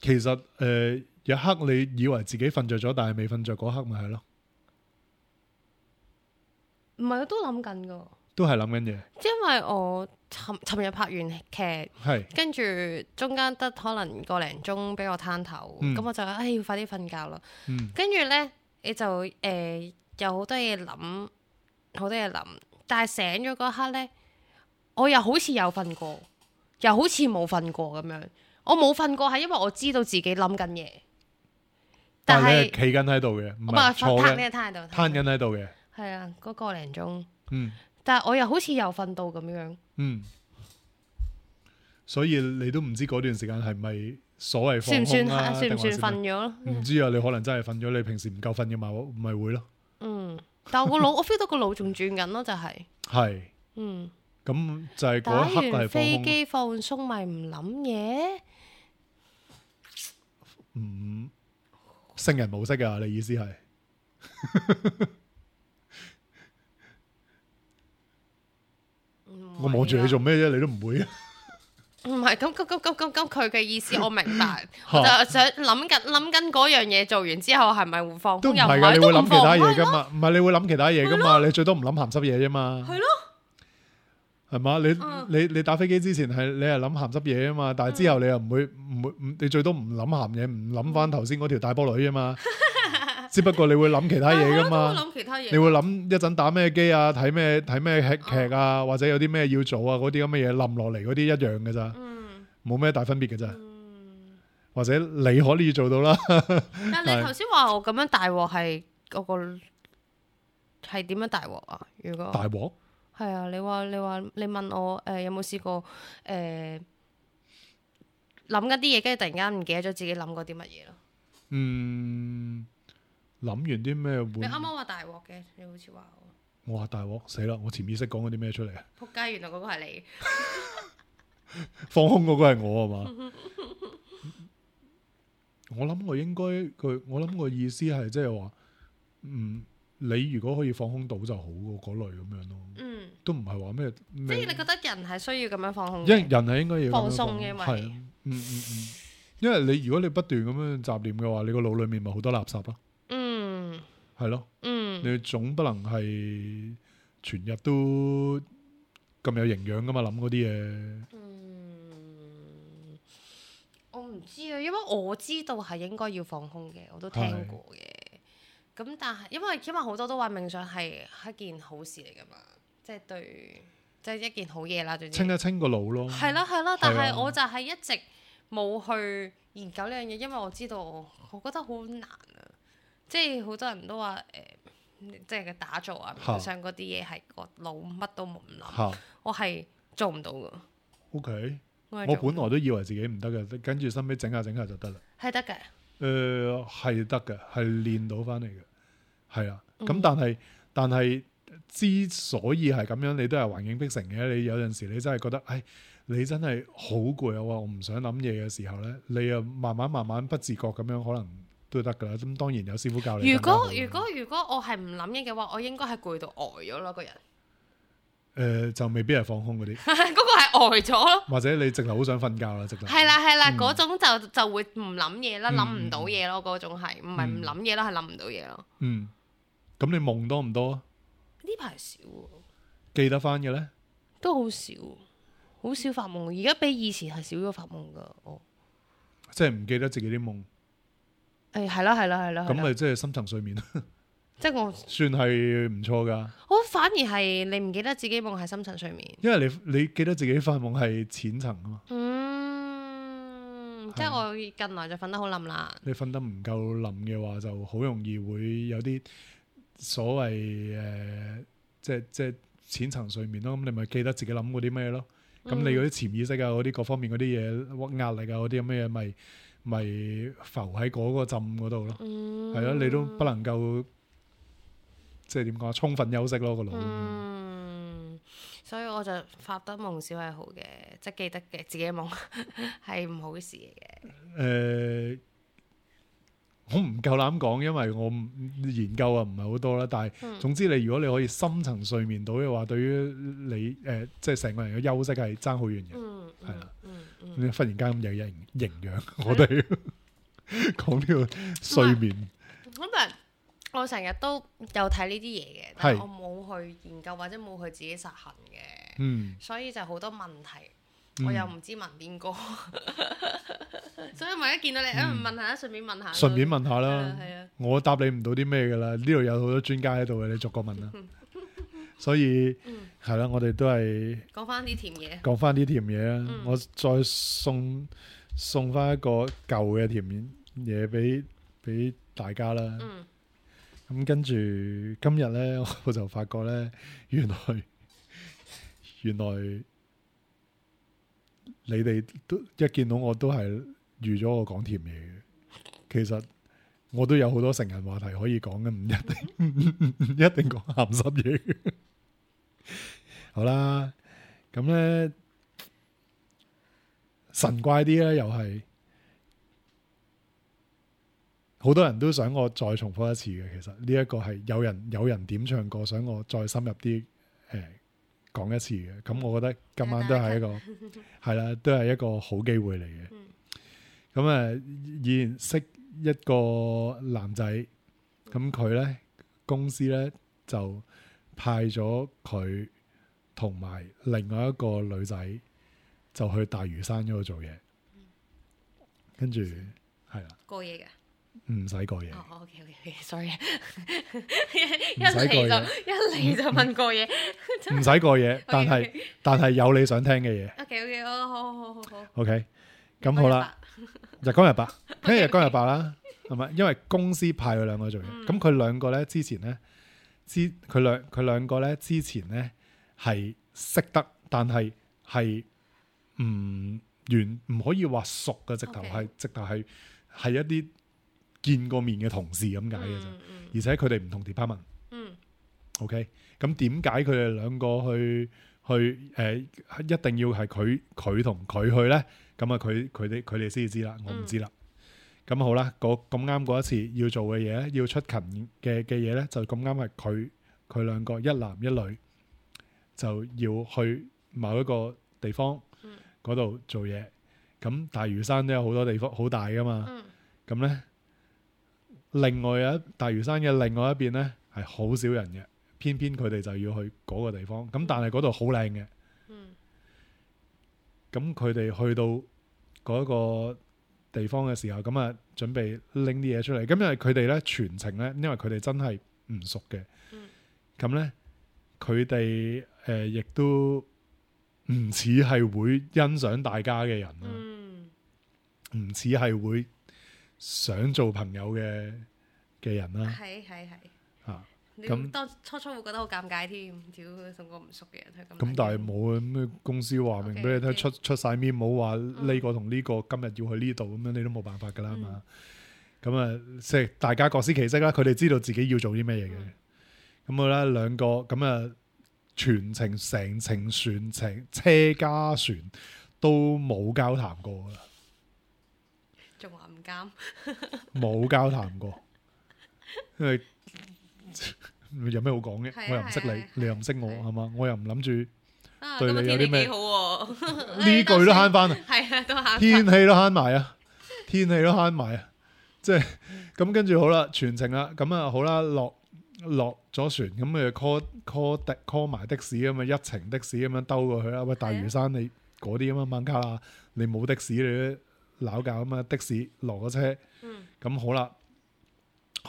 其實誒、呃、有一刻你以為自己瞓着咗，但係未瞓着嗰刻咪係咯，唔係，我都諗緊噶，都係諗緊嘢，因為我尋尋日拍完劇，係跟住中間得可能個零鐘俾我攤頭，咁、嗯我就唉要快啲瞓覺啦。嗯跟住呢，你就誒、呃、有好多嘢諗，好多嘢諗，但係醒咗嗰刻呢，我又好似有瞓過，又好似冇瞓過咁樣。我冇瞓過係因為我知道自己諗緊嘢，但係但係你係企緊喺度嘅，唔我咪係坐攤緊呢個攤喺度，攤緊喺度嘅，係啊，嗰、個零鐘。嗯但係我又好似又瞓到咁樣。嗯，所以你都唔知嗰段時間係咪所謂放算唔算空啊？算唔算定還是瞓咗咯？唔知啊，你可能真係瞓咗，你平時唔夠瞓嘅嘛，咪會咯，嗯，但我個腦我 feel 到個腦仲轉緊咯，就係、係嗯，咁就係打嗰一刻係放完飛空，機放鬆咪唔諗嘢。嗯，聖人模式啊，你意思係？我望住你做咩啫？你都唔會啊？唔係咁咁咁咁咁咁佢嘅意思我明白，我就想諗緊諗緊嗰樣嘢做完之後係咪會放空？都唔係㗎，你會諗其他嘢㗎嘛？唔係你會諗其他嘢㗎嘛？你最多唔諗鹹濕嘢啫嘛。係咯。係嘛？你你你打飛機之前係你係諗鹹濕嘢啊嘛，但係之後你又唔會唔會唔你最多唔諗鹹嘢，唔諗翻頭先嗰條大波女啊嘛。只不過你會諗其他嘢噶嘛，你會諗一陣打咩機啊，睇咩睇咩劇劇啊，或者有啲咩要做啊，嗰啲咁嘅嘢冧落嚟嗰啲一樣嘅咋，冇咩大分別嘅咋。或者你可以做到啦。但係你頭先話我咁樣大鑊係嗰個係點樣大鑊啊？如果大鑊？係啊，你話你話你問我誒、呃、有冇試過誒諗緊啲嘢，跟住突然間唔記得咗自己諗過啲乜嘢咯？嗯，諗完啲咩會？你啱啱話大鑊嘅，你好似話我。我話大鑊死啦！我潛意識講嗰啲咩出嚟啊？仆街，原來嗰個係你。放空嗰個係我啊嘛？我諗我應該佢，我諗個意思係即係話，嗯。你如果可以放空到就好喎，嗰類咁樣咯。嗯，都唔係話咩。即係你覺得人係需要咁樣放空？因為人係應該要放鬆嘅，係嗯嗯嗯。因為你如果你不斷咁樣雜念嘅話，你個腦裡面咪好多垃圾咯。嗯，係咯。嗯，你總不能係全日都咁有營養噶嘛？諗嗰啲嘢。嗯，我唔知啊，因為我知道係應該要放空嘅，我都聽過嘅。咁但係，因為因為好多都話冥想係一件好事嚟噶嘛，即係對，即係一件好嘢啦。總之清一清個腦咯。係啦係啦，但係我就係一直冇去研究呢樣嘢，因為我知道我，我覺得好難啊。即係好多人都話誒、呃，即係打坐啊、冥想嗰啲嘢係個腦乜都冇唔諗，我係做唔到噶。O K，我本來都以為自己唔得嘅，跟住收尾整下整下就得啦。係得嘅。誒係得嘅，係練到翻嚟嘅，係啊。咁、嗯、但係但係之所以係咁樣，你都係環境逼成嘅。你有陣時你真係覺得，唉，你真係好攰啊！我唔想諗嘢嘅時候咧，你又慢慢慢慢不自覺咁樣，可能都得噶啦。咁當然有師傅教你。如果如果如果我係唔諗嘢嘅話，我應該係攰到呆咗咯，個人。誒、呃、就未必係放空嗰啲，嗰個係呆咗咯。或者你直頭好想瞓覺啦，直頭。係啦係啦，嗰、嗯、種就就會唔諗嘢啦，諗唔到嘢咯。嗰種係唔係唔諗嘢咯，係諗唔到嘢咯。嗯，咁你夢多唔多啊？呢排少，記得翻嘅咧，都好少，好少發夢。而家比以前係少咗發夢噶。哦，即係唔記得自己啲夢。誒係啦係啦係啦，咁咪即係深層睡眠。即係我算係唔錯噶，我反而係你唔記得自己夢係深層睡眠，因為你你記得自己發夢係淺層啊嘛。嗯，即係我近來就瞓得好冧啦。你瞓得唔夠冧嘅話，就好容易會有啲所謂誒、呃，即係即係淺層睡眠咯。咁你咪記得自己諗過啲咩咯？咁、嗯、你嗰啲潛意識啊，嗰啲各方面嗰啲嘢，壓力啊，嗰啲咁嘅嘢，咪咪浮喺嗰個浸嗰度咯。係咯、嗯，你都不能夠。即係點講？充分休息咯個腦。嗯，所以我就發得夢少係好嘅，即係記得嘅自己嘅夢係唔好事嚟嘅。誒、呃，我唔夠膽講，因為我研究啊唔係好多啦。但係、嗯、總之你如果你可以深層睡眠到嘅話，對於你誒、呃、即係成個人嘅休息係爭好遠嘅。嗯，係啦。嗯嗯。你忽然間咁有營營養，我哋講呢個睡眠。咁但係。我成日都有睇呢啲嘢嘅，但係我冇去研究或者冇去自己實行嘅，嗯、所以就好多問題，嗯、我又唔知問邊個，所以咪一見到你，誒、嗯、問下，順便問下，順便問下啦，我答你唔到啲咩噶啦，呢度有好多專家喺度嘅，你逐個問啦，所以係啦、嗯，我哋都係講翻啲甜嘢，講翻啲甜嘢啊，嗯、我再送送翻一個舊嘅甜嘢俾俾大家啦。嗯咁跟住今日咧，我就發覺咧，原來原來你哋都一見到我都係預咗我講甜嘢嘅。其實我都有好多成人話題可以講嘅，唔一定唔一定講鹹濕嘢嘅。好啦，咁咧神怪啲咧，又係。好多人都想我再重複一次嘅，其實呢一個係有人有人點唱過，想我再深入啲誒講一次嘅。咁我覺得今晚都係一個係啦，都係一個好機會嚟嘅。咁啊，以前識一個男仔，咁佢咧公司咧就派咗佢同埋另外一個女仔就去大嶼山嗰度做嘢，跟住係啦，過夜嘅。唔使過夜。哦，OK OK OK，sorry，一唔使過夜嚟就一嚟就問過夜，唔使過夜，但係但係有你想聽嘅嘢。 OK OK，好好好好好。 OK， 咁好啦，日光日白，跟住日光日白啦，係咪？因為公司派佢兩個做嘢，咁佢兩個咧之前咧，之佢兩佢兩個咧之前咧係識得，但係係唔完唔可以話熟嘅，直頭係 Okay. 直頭係係一啲見過面嘅同事咁解嘅啫，嗯嗯、而且佢哋唔同 department。嗯。OK， 咁點解佢哋兩個去去誒、呃、一定要係佢佢同佢去咧？咁啊，佢佢哋佢哋先至知啦，我唔知啦。咁、嗯、好啦，咁啱嗰一次要做嘅嘢，要出勤嘅嘅嘢咧，就咁啱係佢佢兩個一男一女就要去某一個地方嗰度做嘢。咁大嶼山都有好多地方好大噶嘛。咁咧、嗯，另外一大嶼山嘅另外一邊咧係好少人嘅，偏偏佢哋就要去嗰個地方。咁但係嗰度好靚嘅。咁佢哋去到嗰個地方嘅時候，咁啊準備拎啲嘢出嚟。咁因為佢哋咧全程咧，因為佢哋真係唔熟嘅。咁咧佢哋誒亦都唔似係會欣賞大家嘅人啦，唔似係會想做朋友嘅嘅人啦。係係係。啊，咁咁當初初會覺得好尷尬添，屌同個唔熟嘅人去咁。咁但係冇啊，咩公司話明俾你睇，出出晒面，冇話呢個同呢個今日要去呢度咁樣，你都冇辦法噶啦嘛。咁啊，即係大家各司其職啦。佢哋知道自己要做啲咩嘢嘅。咁好啦，兩個咁啊，全程成程船程車加船都冇交談過噶啦，仲話唔監，冇交談過，因為有咩好講嘅？我又唔識你，你又唔識我，係嘛？我又唔諗住對你有啲咩好。呢句都慳翻啊！係啊，都慳。天氣都慳埋啊！天氣都慳埋啊！即係咁，跟住好啦，全程啦，咁啊好啦，落落咗船，咁咪 call call 的 call 埋的士咁啊，一程的士咁樣兜過去啦。喂，大嶼山你嗰啲咁啊，孟加拉你冇的士你都鬧教啊嘛，的士落咗車，咁好啦，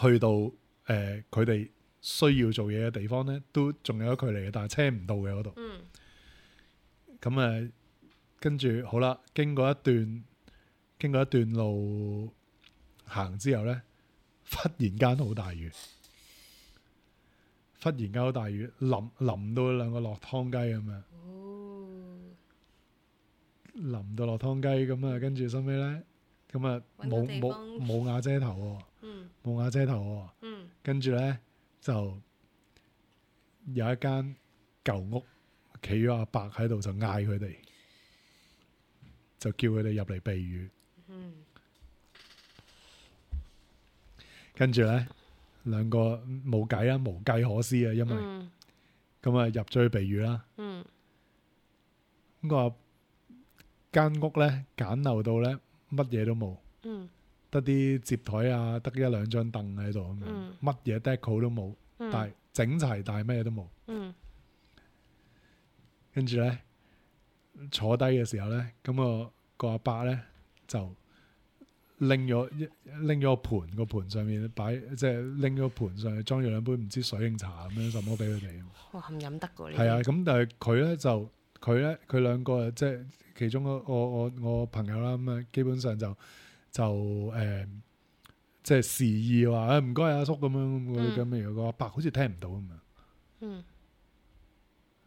去到誒佢哋需要做嘢嘅地方咧，都仲有距離嘅，但係車唔到嘅嗰度。咁誒、嗯，跟住好啦，經過一段經過一段路行之後咧，忽然間好大雨，忽然間好大雨，淋淋到兩個落湯雞咁樣。哦、淋到落湯雞咁啊，跟住收尾咧，咁啊冇冇冇瓦遮頭喎，冇、嗯、瓦遮頭喎。嗯、跟住咧。就有一間舊屋，企咗阿伯喺度，就嗌佢哋，就叫佢哋入嚟避雨。嗯、跟住咧，兩個冇計啦，無計可施啊，因為咁啊、嗯、入咗去避雨啦。咁、嗯、個間屋咧簡陋到咧，乜嘢都冇。嗯得啲摺枱啊，得一兩張凳喺度咁樣，乜嘢 deco 都冇，嗯、但係整齊，但係乜嘢都冇。嗯、跟住咧坐低嘅時候咧，咁、個個阿伯咧就拎咗拎咗個盤，個盤上面擺，即係拎咗個盤上去裝咗兩杯唔知水定茶咁樣，什麼俾佢哋。哇，唔飲得㗎呢？係啊，咁但係佢咧就佢咧佢兩個即係其中個我我我朋友啦，咁啊基本上就。就誒、呃，即係示意話誒唔該阿叔咁樣咁咁樣，個阿伯好似聽唔到咁樣，嗯、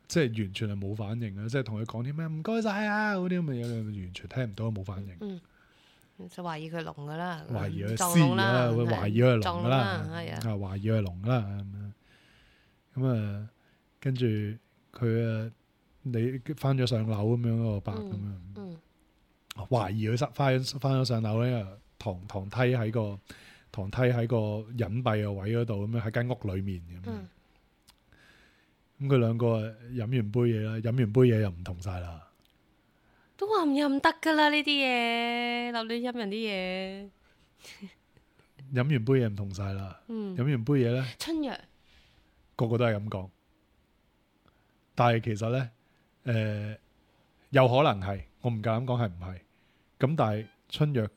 即係完全係冇反應啊！即係同佢講啲咩唔該晒啊嗰啲咁嘅嘢，完全聽唔到，冇反應。嗯，就懷疑佢聾噶啦，懷疑佢屍啦，會懷疑佢係聾噶啦，啊懷疑佢係聾噶啦咁樣。咁啊，跟住佢啊，你翻咗上樓咁樣個阿伯咁樣。嗯嗯懷疑佢翻翻咗上樓咧，堂堂梯喺個堂梯喺個隱蔽嘅位嗰度，咁樣喺間屋裏面咁樣。咁佢兩個飲完杯嘢啦，飲完杯嘢又唔同晒啦。都話唔飲得噶啦呢啲嘢，留亂飲人啲嘢。飲完杯嘢唔同晒啦，嗯，飲完杯嘢咧，春藥個個都係咁講。但係其實咧，誒、有可能係，我唔夠膽講係唔係。咁但係春藥，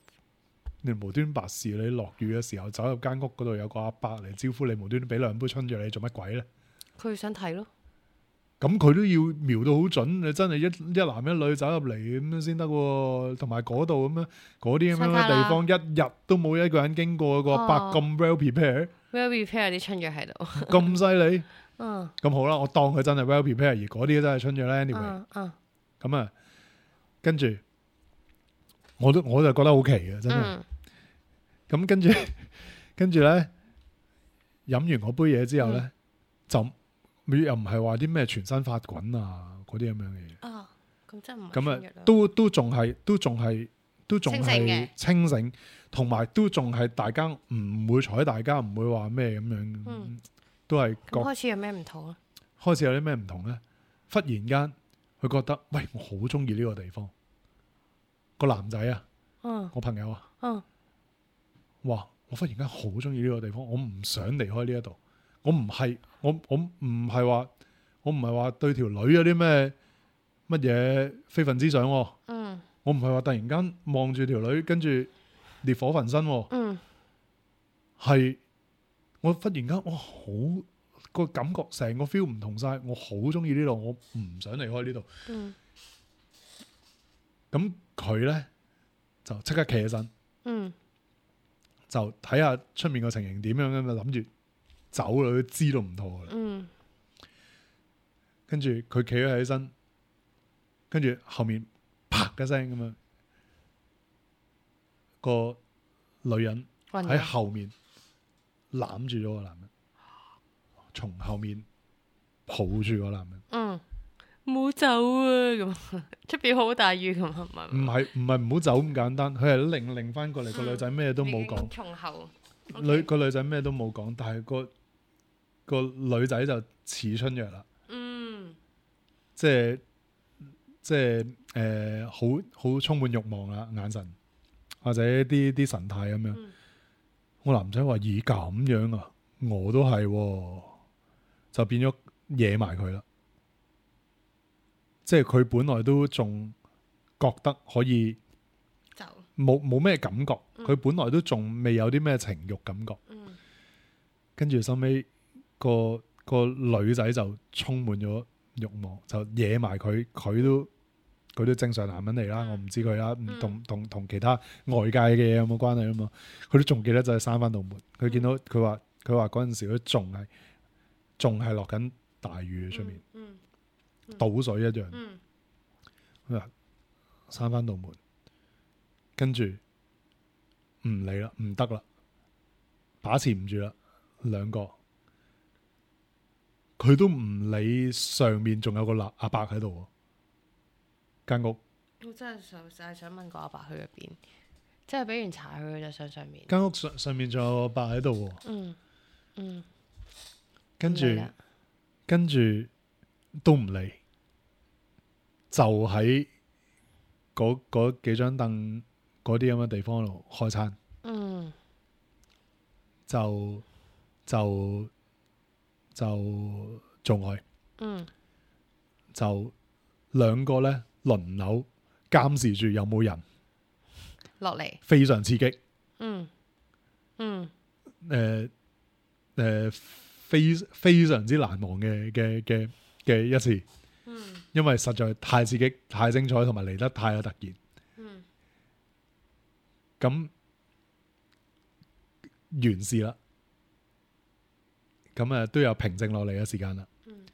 你無端白事，你落雨嘅時候走入間屋嗰度有個阿伯嚟招呼你，無端端俾兩杯春藥你做乜鬼咧？佢想睇咯。咁佢都要瞄到好準，你真係一一男一女走入嚟咁樣先得喎。同埋嗰度咁樣嗰啲咁樣嘅地方，一日都冇一個人經過，個阿伯咁 well prepared， well prepare 啲春藥喺度。咁犀利。嗯咁好啦，我當佢真係 well prepared，而嗰啲真係春藥咧。anyway，嗯嗯咁啊，跟住我都我就覺得好奇嘅，真係。嗯咁跟住跟住咧，飲完嗰杯嘢之後咧，嗯就又唔係話啲咩全身發滾啊嗰啲咁樣嘅嘢。啊，咁真係唔係咁春藥啦。啊，都都仲係都仲係都仲清醒係嘅清醒，同埋都仲係大家唔會睬大家，唔會話咩咁樣，嗯都係覺咁開始有咩唔同啊？開始有啲咩唔同咧？忽然間佢覺得，喂，我好中意呢個地方。個男仔啊，嗯我朋友啊，嗯哇！我忽然間好中意呢個地方，我唔想離開呢一度。我唔係我我唔係話我唔係話對條女有啲咩乜嘢非分之想喎。嗯我唔係話突然間望住條女，跟住烈火焚身喎。嗯係我忽然間，哇！好個感覺，成個 feel 唔同晒。我好中意呢度，我唔想離開呢度。嗯咁佢咧就即刻企起身，嗯就睇下出面個情形點樣咁啊，諗住走啦，佢知道唔妥噶啦。嗯跟住佢企咗起身，跟住後面啪一聲咁樣，個女人喺暈咗後面攬住咗個男人，從後面抱住個男人。嗯，唔好走啊！咁出邊好大雨咁係咪？唔係唔係唔好走咁簡單，佢係擰擰翻過嚟，個女仔咩都冇講，從後女個女仔咩都冇講，但係個個女仔就似春藥啦，嗯即係即係誒，好好充滿慾望啦，眼神或者啲啲神態咁樣。嗯我男仔話：咦咁樣啊，我都係喎，就變咗惹埋佢啦。即係佢本來都仲覺得可以走冇冇咩感覺，嗯佢本來都仲未有啲咩情慾感覺，嗯跟住收尾個個女仔就充滿咗慾望，就惹埋佢，佢都佢都正常男人嚟啦，嗯我唔知佢啦，唔嗯同同同其他外界嘅嘢有冇關係啊嘛，佢都仲記得就係閂翻道門，佢見到佢話佢話嗰陣時佢仲係仲係落緊大雨出面，嗯倒水一樣。嗯佢話閂翻道門，跟住唔理啦，唔得啦，把持唔住啦，兩個佢都唔理上面仲有個阿阿伯喺度喎，間屋我真係想就係想問個阿伯去咗邊，即係俾完茶佢就上上面。間屋上上面仲有個阿伯喺度喎，嗯嗯，跟住唔理啦跟住都唔理，就喺嗰嗰幾張凳嗰啲咁嘅地方度開餐。嗯就就就做愛，嗯就兩個咧輪流監視住有冇人，落嚟。非常刺激。嗯嗯誒、誒、非非常之難忘嘅嘅嘅嘅一次，嗯因為實在太刺激、太精彩，同埋嚟得太有突然。嗯咁完事啦，咁啊都有平靜落嚟嘅時間啦。嗯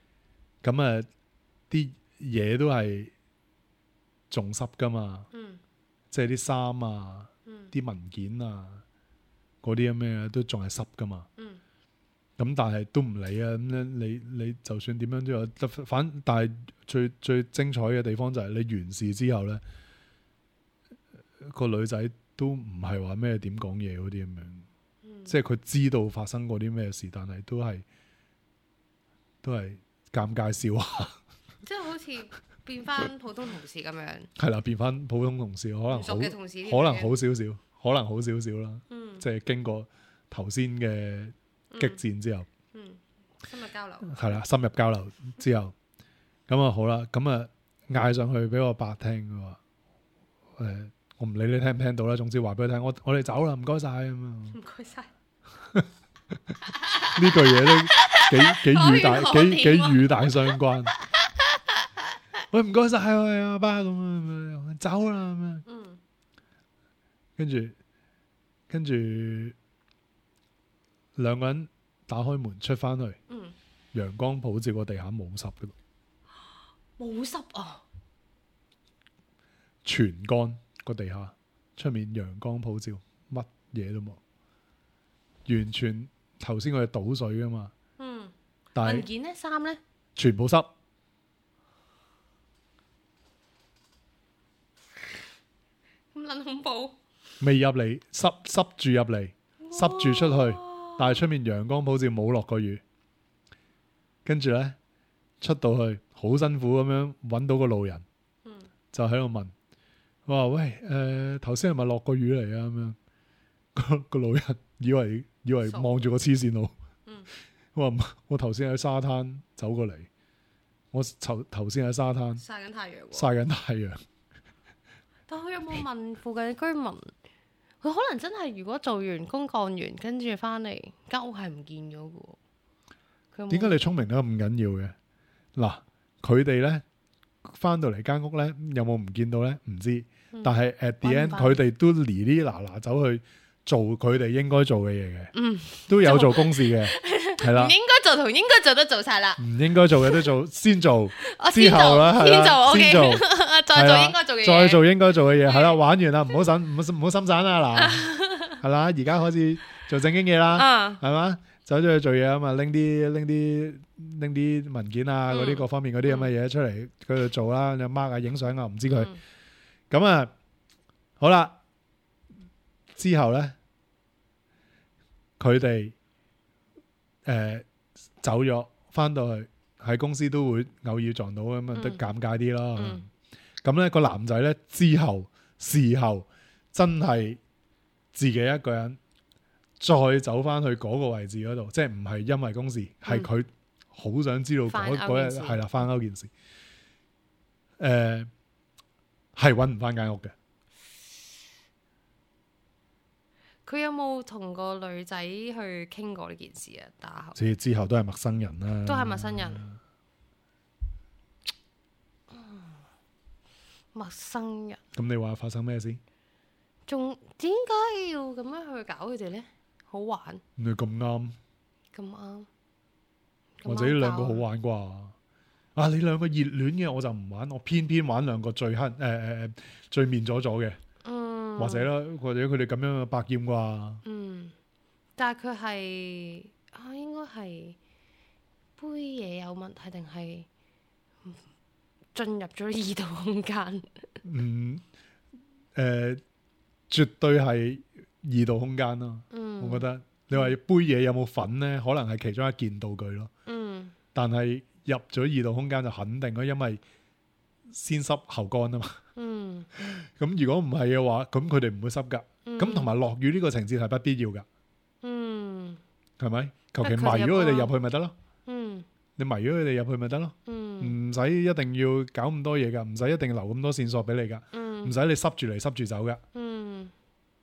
咁啊啲嘢都係仲濕噶嘛，嗯即係啲衫啊、嗯啲文件啊嗰啲咁嘅都仲係濕噶嘛。嗯咁但係都唔理啊，咁樣你你就算點樣都有，反但係最最精彩嘅地方就係你完事之後咧，個女仔都唔係話咩點講嘢嗰啲咁樣。嗯即係佢知道發生過啲咩事，但係都係都係尷尬笑話，即係好似變翻普通同事咁樣。係啦，變翻普通同事，可能好熟嘅同事，可能好少少，可能好少少啦。嗯，即係經過頭先嘅激戰之後，嗯，深入交流係啦，深入交流之後，咁啊好啦，咁啊嗌上去俾我伯聽，佢話誒，我唔理你聽唔聽到啦，總之話俾佢聽，我我哋走啦，唔該晒咁啊。唔該晒。呢句嘢都幾幾語大幾幾語大相關。喂，唔該晒喂阿爸咁啊，走啦咁樣。嗯，跟住跟住兩個人打開門出翻去，嗯，陽光普照個地下冇濕嘅，冇濕啊，全乾個地下，出面陽光普照，乜嘢都冇，完全頭先佢係倒水噶嘛。嗯，但係文件咧，衫咧，全部濕。咁撚恐怖。未入嚟，濕濕住入嚟，濕住出去，但係出面陽光普照，冇落過雨。跟住呢，出到去好辛苦咁樣揾到個路人，嗯，就喺度問，我話喂，誒頭先係咪落過雨嚟啊？咁樣個個路人以為以為望住個黐線佬，嗯，我話我頭先喺沙灘走過嚟，我頭頭先喺沙灘曬緊太陽喎。曬緊太陽。但佢有冇問附近嘅居民？佢可能真係如果做完公幹完，跟住翻嚟間屋係唔見咗嘅喎。佢有冇點解你聰明得咁緊要嘅？嗱，佢哋咧翻到嚟間屋咧，有冇唔見到咧？唔知。嗯但係 at the 搵 end，唔返佢哋都哩哩嗱嗱走去做佢哋應該做嘅嘢嘅，嗯，都有做公事嘅，係啦唔。應該做同應該做都做晒啦。唔應該做嘅都做，先做我之後啦，係啦先做先做，再做應該做嘅嘢，再做應該做嘅嘢，係啦，玩完啦，唔好心唔好唔好心散啦，嗱，係啦，而家開始做正經嘢啦，啊，係嘛？走咗去做嘢啊嘛，拎啲拎啲拎啲文件啊，嗰啲各方面嗰啲咁嘅嘢出嚟，佢度做啦，你 mark 啊，影相啊，唔知佢嗯咁啊，好啦，之後咧，佢哋誒走咗，翻到去喺公司都會偶爾撞到咁啊，都尷尬啲咯。嗯咁咧個男仔咧之後事後真係自己一個人再走翻去嗰個位置嗰度，即係唔係因為公事，係佢好想知道嗰嗰日係啦翻勾件事。誒係揾唔翻間屋嘅。佢有冇同個女仔去傾過呢件事啊？打後之之後都係陌生人啦，都係陌生人。陌生人，咁你話發生咩事？仲點解要咁樣去搞佢哋呢？好玩你咁啱，咁啱，或者呢兩個好玩啩？啊，你兩個熱戀嘅我就唔玩，我偏偏玩兩個最黑誒誒誒最面咗咗嘅，嗯，或者啦，或者佢哋咁樣嘅百厭啩？嗯，但係佢係啊，應該係杯嘢有問題，定係進入咗異度空間？嗯，誒、呃，絕對係異度空間咯。嗯，我覺得你話杯嘢有冇份呢？可能係其中一件道具咯。嗯，但係入咗異度空間就肯定咯，因為先濕後乾啊嘛。嗯，咁如果唔係嘅話，咁佢哋唔會濕噶。咁同埋落雨呢個情節係不必要噶，嗯，係咪？求其迷逼佢哋入咗佢哋咯入去咪得咯。嗯，你迷咗佢哋入去咪得咯。嗯，唔使一定要搞咁多嘢噶，唔使一定留咁多線索俾你噶，嗯，唔使你濕住嚟濕住走噶，嗯，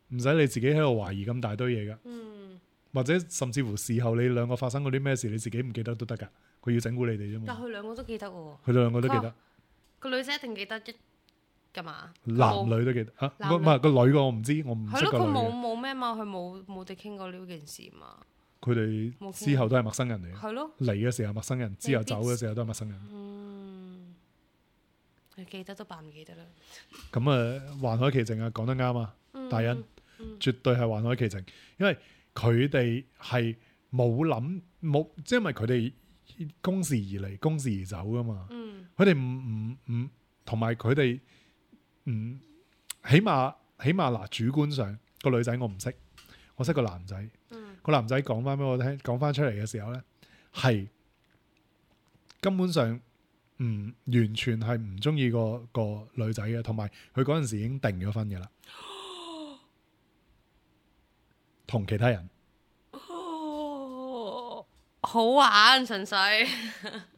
唔使你自己喺度懷疑咁大堆嘢噶，嗯，或者甚至乎事後你兩個發生嗰啲咩事，你自己唔記得都得噶，佢要整蠱你哋啫嘛。但佢兩個都記得喎，佢哋兩個都記得，個女仔一定記得一㗎嘛？男女都記得啊，男女唔係個女個我唔知，我唔係咯，佢冇識個女嘅。冇咩嘛？佢冇冇哋傾過呢件事嘛？佢哋冇傾之後都係陌生人嚟嘅，係咯，嚟嘅時候陌生人，之後走嘅時候都係陌生人。嗯，你記得都扮唔記得啦。咁啊，環海奇情啊，講得啱啊，大恩嗯絕對係環海奇情，因為佢哋係冇諗冇，即係因為佢哋公事而嚟，公事而走噶嘛。嗯佢哋唔唔唔，同埋佢哋唔起碼起碼嗱，主觀上個女仔我唔識，我識個男仔。嗯個男仔講翻俾我聽，講翻出嚟嘅時候咧，係根本上唔完全係唔中意個個女仔嘅，同埋佢嗰陣時已經定咗婚嘅啦，同其他人。哦，好玩，純粹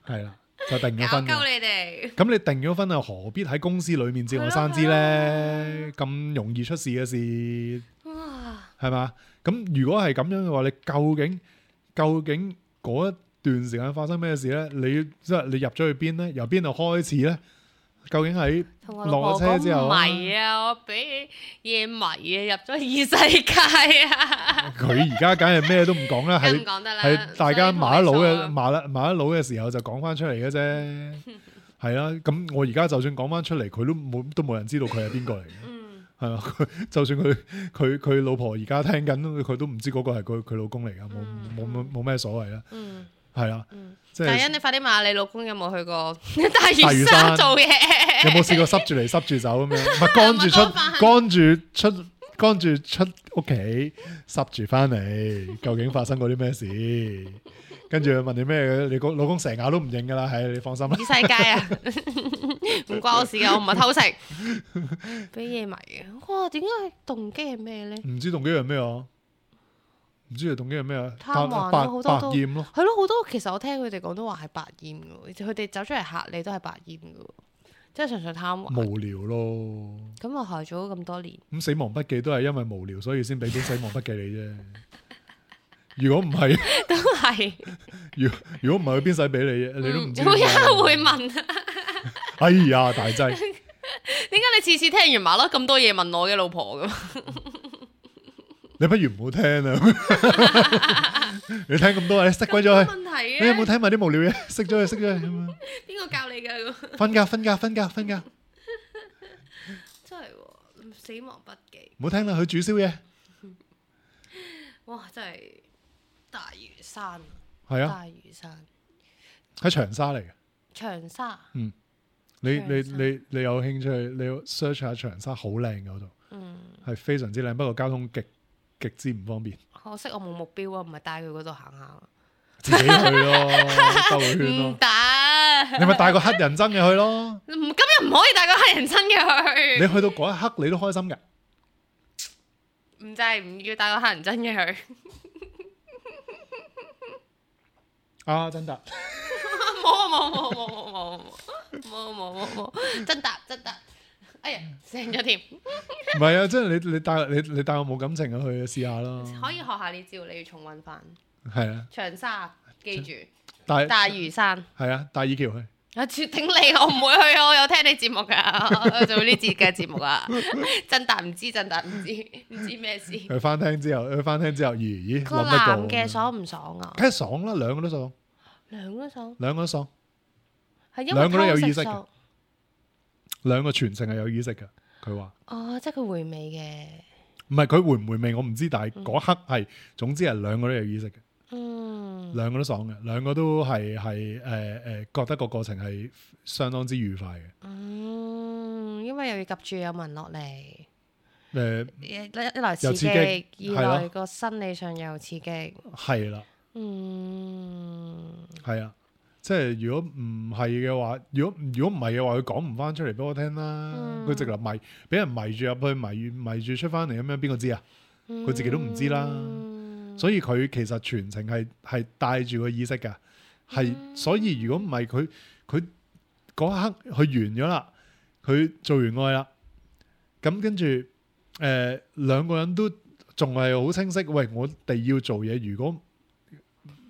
係啦，就定咗婚嘅。搞鳩你哋。咁你定咗婚啊，何必喺公司裏面節外生枝咧？咁容易出事嘅事，哇！係嘛？咁如果係咁樣嘅話，你究竟究竟嗰一段時間發生咩事咧？你即係你入咗去邊咧？由邊度開始咧？究竟喺同我老婆落咗車之後啊迷啊，我俾嘢迷啊，入咗異世界啊！佢而家梗係咩都唔講啦，梗唔係講得啦，係大家麻甩佬嘅所以同你麻甩麻甩佬嘅時候就講翻出嚟嘅啫，係啦。咁我而家就算講翻出嚟，佢都冇都冇人知道佢係邊個嚟嘅，嗯，係嘛？佢就算佢佢佢老婆而家聽緊，佢都唔知嗰個係佢佢老公嚟噶，冇冇冇冇咩所謂啦，嗯係啦，嗯。即係大欣，你快啲問下你老公有冇去過大大嶼嶼山山做嘢？有冇試過濕住嚟濕住走咁樣？唔係趕住出麥當飯趕住出趕住出屋企濕住翻嚟，究竟發生過啲咩事？跟住佢問你咩嘅，你個老公成日都唔認噶啦，係你放心啦。異世界啊，唔關我事噶，我唔係偷食，俾嘢迷嘅。哇，點解動機係咩咧？唔知動機係咩啊？唔知佢動機係咩啊？貪玩咯百好多都百厭咯。係咯，好多其實我聽佢哋講都話係百厭嘅，佢哋走出嚟嚇你都係百厭嘅，即係純粹貪玩。無聊咯。咁我害咗咁多年，咁死亡筆記都係因為無聊，所以先俾本死亡筆記你啫。如果唔係，都係。如如果唔係，佢邊使俾你啫？你都唔知。會有人會問，哎呀，大劑！點解你次次聽完麻甩咁多嘢問我嘅老婆咁？你不如唔好聽啊！你聽咁多，你熄鬼咗佢。問題你有冇嘅，聽埋啲無聊嘢？熄咗佢，熄咗佢咁樣。邊個教你㗎？瞓覺，瞓覺，瞓覺，瞓覺。真係喎，死亡筆記，唔好聽啦，佢煮宵夜。哇！真係大嶼山，係啊，大嶼山，喺長沙嚟嘅。長沙，你你長沙你你有興趣，你要 search 下長沙，好靚嗰度，嗯，係非常之靚。不過交通極極之唔方便，可惜我冇目標啊，唔係帶佢嗰度行下，自己去咯，兜個圈唔咯。得，你咪帶個黑人憎嘅去咯。唔咁又唔可以帶個黑人親嘅去，你去到嗰一刻，你都開心㗎。唔制唔要帶個黑人親嘅去，啊，真得。冇冇冇冇冇冇冇冇冇冇，真達真達，哎呀醒咗添，唔係啊，即係你你帶你你帶我冇感情嘅去試下咯。可以學下呢招，你要重溫翻係啊，長沙，記住帶大嶼山。係啊，帶爾橋去。啊！絕頂你，我唔會去啊！我有聽你節目噶，我做呢節嘅節目啊！真達唔知，真達唔知，唔知咩事。佢翻聽之後，佢翻聽之後，咦咦個諗得過男嘅爽唔爽啊？梗係爽啦，兩個都爽，兩個爽，兩個都爽，係因為兩個都有偷食意識嘅爽兩個全程係有意識嘅。佢話哦，即係佢回味嘅。唔係佢回唔回味我唔知，但係嗰刻係總之係兩個都有意識嘅，嗯，兩個都爽嘅，兩個都係係誒誒覺得個過程係相當之愉快嘅。嗯，因為又要及住有文落嚟，誒一一來刺又刺激，激二來係咯個生理上又刺激。係啦，嗯，係啊，即係如果唔係嘅話，如果如果唔係嘅話，佢講唔翻出嚟俾我聽啦。嗯佢直頭迷俾人迷住入去，迷迷住出翻嚟咁樣，邊個知啊？佢自己都唔知啦。嗯所以佢其實全程係係帶住個意識㗎，係、嗯所以如果唔係佢佢嗰刻佢完咗啦，佢做完愛啦，咁跟住誒兩個人都仲係好清晰。喂，我哋要做嘢，如果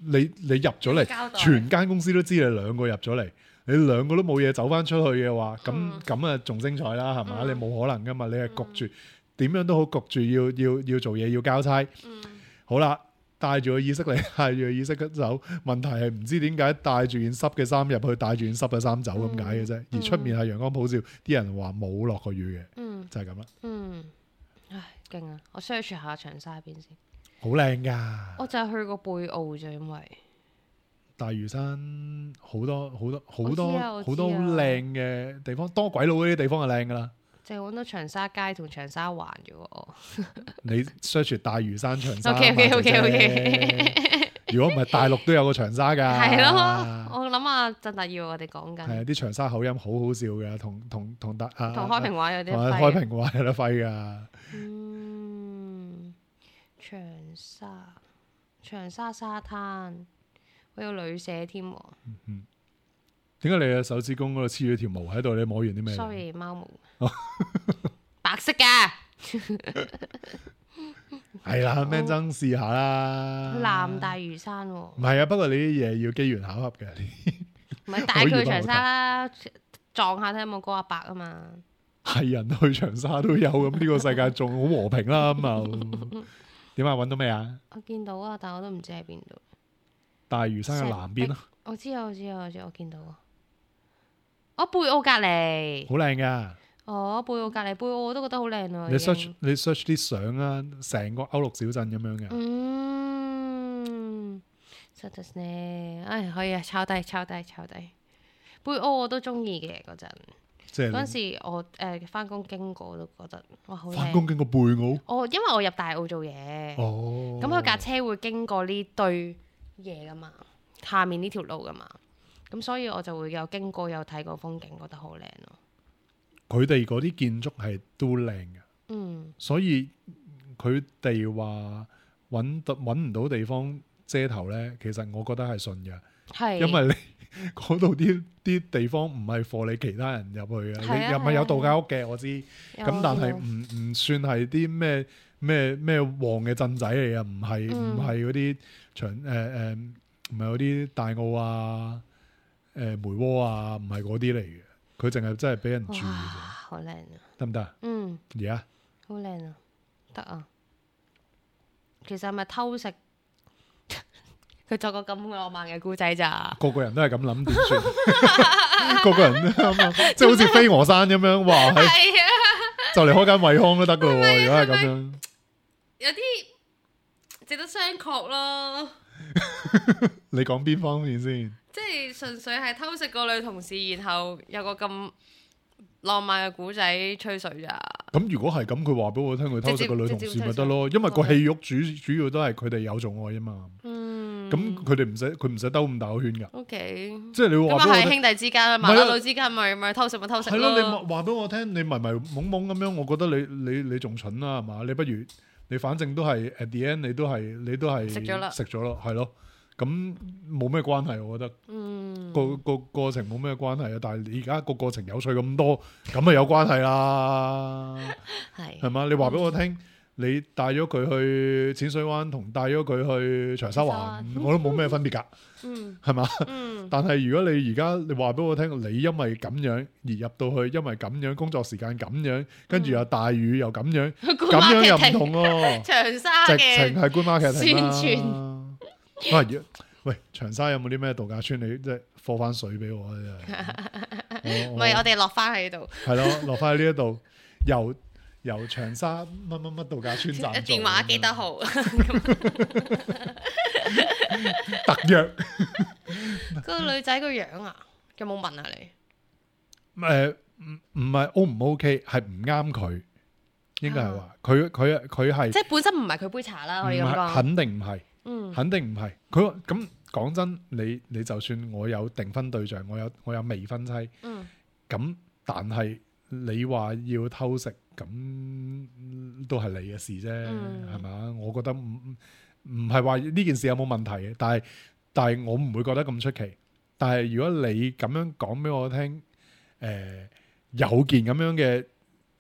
你你入咗嚟，交代全間公司都知你兩個入咗嚟，你兩個都冇嘢走翻出去嘅話，咁嗯咁啊仲精彩啦，係嘛？嗯你冇可能噶嘛，你係焗住點樣都好焗住要要要做嘢要交差。嗯好啦，帶住個意識嚟，帶住個意識走。問題係唔知點解帶住件濕嘅衫入去，帶住件濕嘅衫走咁解嘅啫。嗯而出面係陽光普照，啲人話冇落過雨嘅，嗯就係咁啦。嗯，唉，勁啊！我 search 下長沙邊先。好靚噶，我就係去過貝澳啫，因為大嶼山好多好多好多我知啊我知啊好多好靚嘅地方，多鬼佬嗰啲地方就靚噶啦。淨係揾到長沙街同長沙灣啫喎。你 search 大嶼山長沙 OK OK OK 嘛 OK。姐姐如果唔係大陸都有個長沙㗎。係咯，我諗下啊，振達要我哋講緊。係啊，啲長沙口音好好笑嘅，同同同達啊，同開平話有啲同埋開平話有得揮㗎。嗯，長沙長沙沙灘，我有旅社添喎。嗯，點解你嘅手指公嗰度黐咗條毛喺度？你摸完啲咩 ？Sorry，貓毛，白色㗎。係啦，咩爭試下啦。南大嶼山喎。唔係啊，不過你啲嘢要機緣巧合嘅。唔係帶佢去長沙啦，撞下睇有冇嗰阿伯啊嘛。係人去長沙都有，咁呢個世界仲好和平啦咁啊。點啊？揾到咩啊？我見到啊，但我都唔知喺邊度。大嶼山嘅南邊咯。我知啊，我知啊，我知，我見到啊。我貝澳隔離。好靚噶。哦，貝澳隔離，貝澳我都覺得好靚啊。你 search 你 search 啲相啊，成個歐陸小鎮咁樣嘅。嗯，實在呢，唉，可以啊，抄低抄低抄低。貝澳我都中意嘅嗰陣。即係嗰陣時我誒翻工經過都覺得哇好靚。翻工經過貝澳。哦，因為我入大澳做嘢。哦。咁佢架車會經過呢堆嘢噶嘛，下面呢條路噶嘛，咁所以我就會有經過有睇過風景，覺得好靚咯。佢哋嗰啲建築係都靚嘅，嗯，所以佢哋話揾到揾唔到地方遮頭咧，其實我覺得係順嘅，係因為你嗰度啲啲地方唔係貨你其他人入去嘅，係啊你又咪有度假屋嘅，我知，有咁但係唔唔算係啲咩咩咩旺嘅鎮仔嚟嘅，唔係唔係嗰啲長誒誒，唔係嗰啲大澳啊、誒、呃、梅窩啊，唔係嗰啲嚟嘅。佢淨係真係俾人住嘅啫，好靚啊！得唔得啊？嗯，而家好靚啊，得啊。其實係咪偷食？佢作個咁浪漫嘅故仔咋？個個人都係咁諗，點算？個個人都啱，即係好似飛鵝山咁樣，哇！係啊，就嚟開間惠康都得噶咯喎，如果係咁樣，有啲值得商榷咯。你講邊方面先？即係純粹係偷食個女同事，然後有個咁浪漫嘅古仔吹水咋？咁如果係咁，佢話俾我聽佢偷食個女同事咪得咯？因為個戲肉主主要都係佢哋有做愛啊嘛。嗯，咁佢哋唔使佢唔使兜咁大個圈噶。O K，即係你話俾我聽，咁係兄弟之間、麻甩佬之間，咪咪偷食咪偷食係咯。咯，你話俾我聽，你迷迷懵懵咁樣，我覺得你你你仲蠢啦，係嘛？你不如你反正都係 at the end，你都係你都係食咗啦，食咗咯，係咯。咁冇咩關係，我覺得，嗯，個個過程冇咩關係啊。但係而家個過程有趣咁多，咁啊有關係啦，係係嘛？你話俾我聽，你帶咗佢去淺水灣同帶咗佢去長沙灣，我都冇咩分別㗎，嗯，係嘛？嗯，但係如果你而家你話俾我聽，你因為咁樣而入到去，因為咁樣工作時間咁樣，跟住又大雨又咁樣，咁樣又唔同咯。長沙直嘅情係官媽劇宣啦。傳。喂，喂，長沙有冇啲咩度假村？你即係放翻水俾我啊！真係，唔係我哋落翻喺度，係咯，落翻喺呢一度，由由長沙乜乜乜度假村站電話幾多號？特約。個女仔個樣啊，有冇問啊你？誒，唔唔係 O 唔 OK，係唔啱佢，應該係話佢佢佢係即係本身唔係佢杯茶啦，可以咁講。肯定唔係。嗯，肯定唔係佢咁講真，你你就算我有訂婚對象，我有我有未婚妻，嗯，咁但係你話要偷食，咁都係你嘅事啫，係嘛、嗯？我覺得唔唔係話呢件事有冇問題嘅，但係但係我唔會覺得咁出奇。但係如果你咁樣講俾我聽，誒、呃、有件咁樣嘅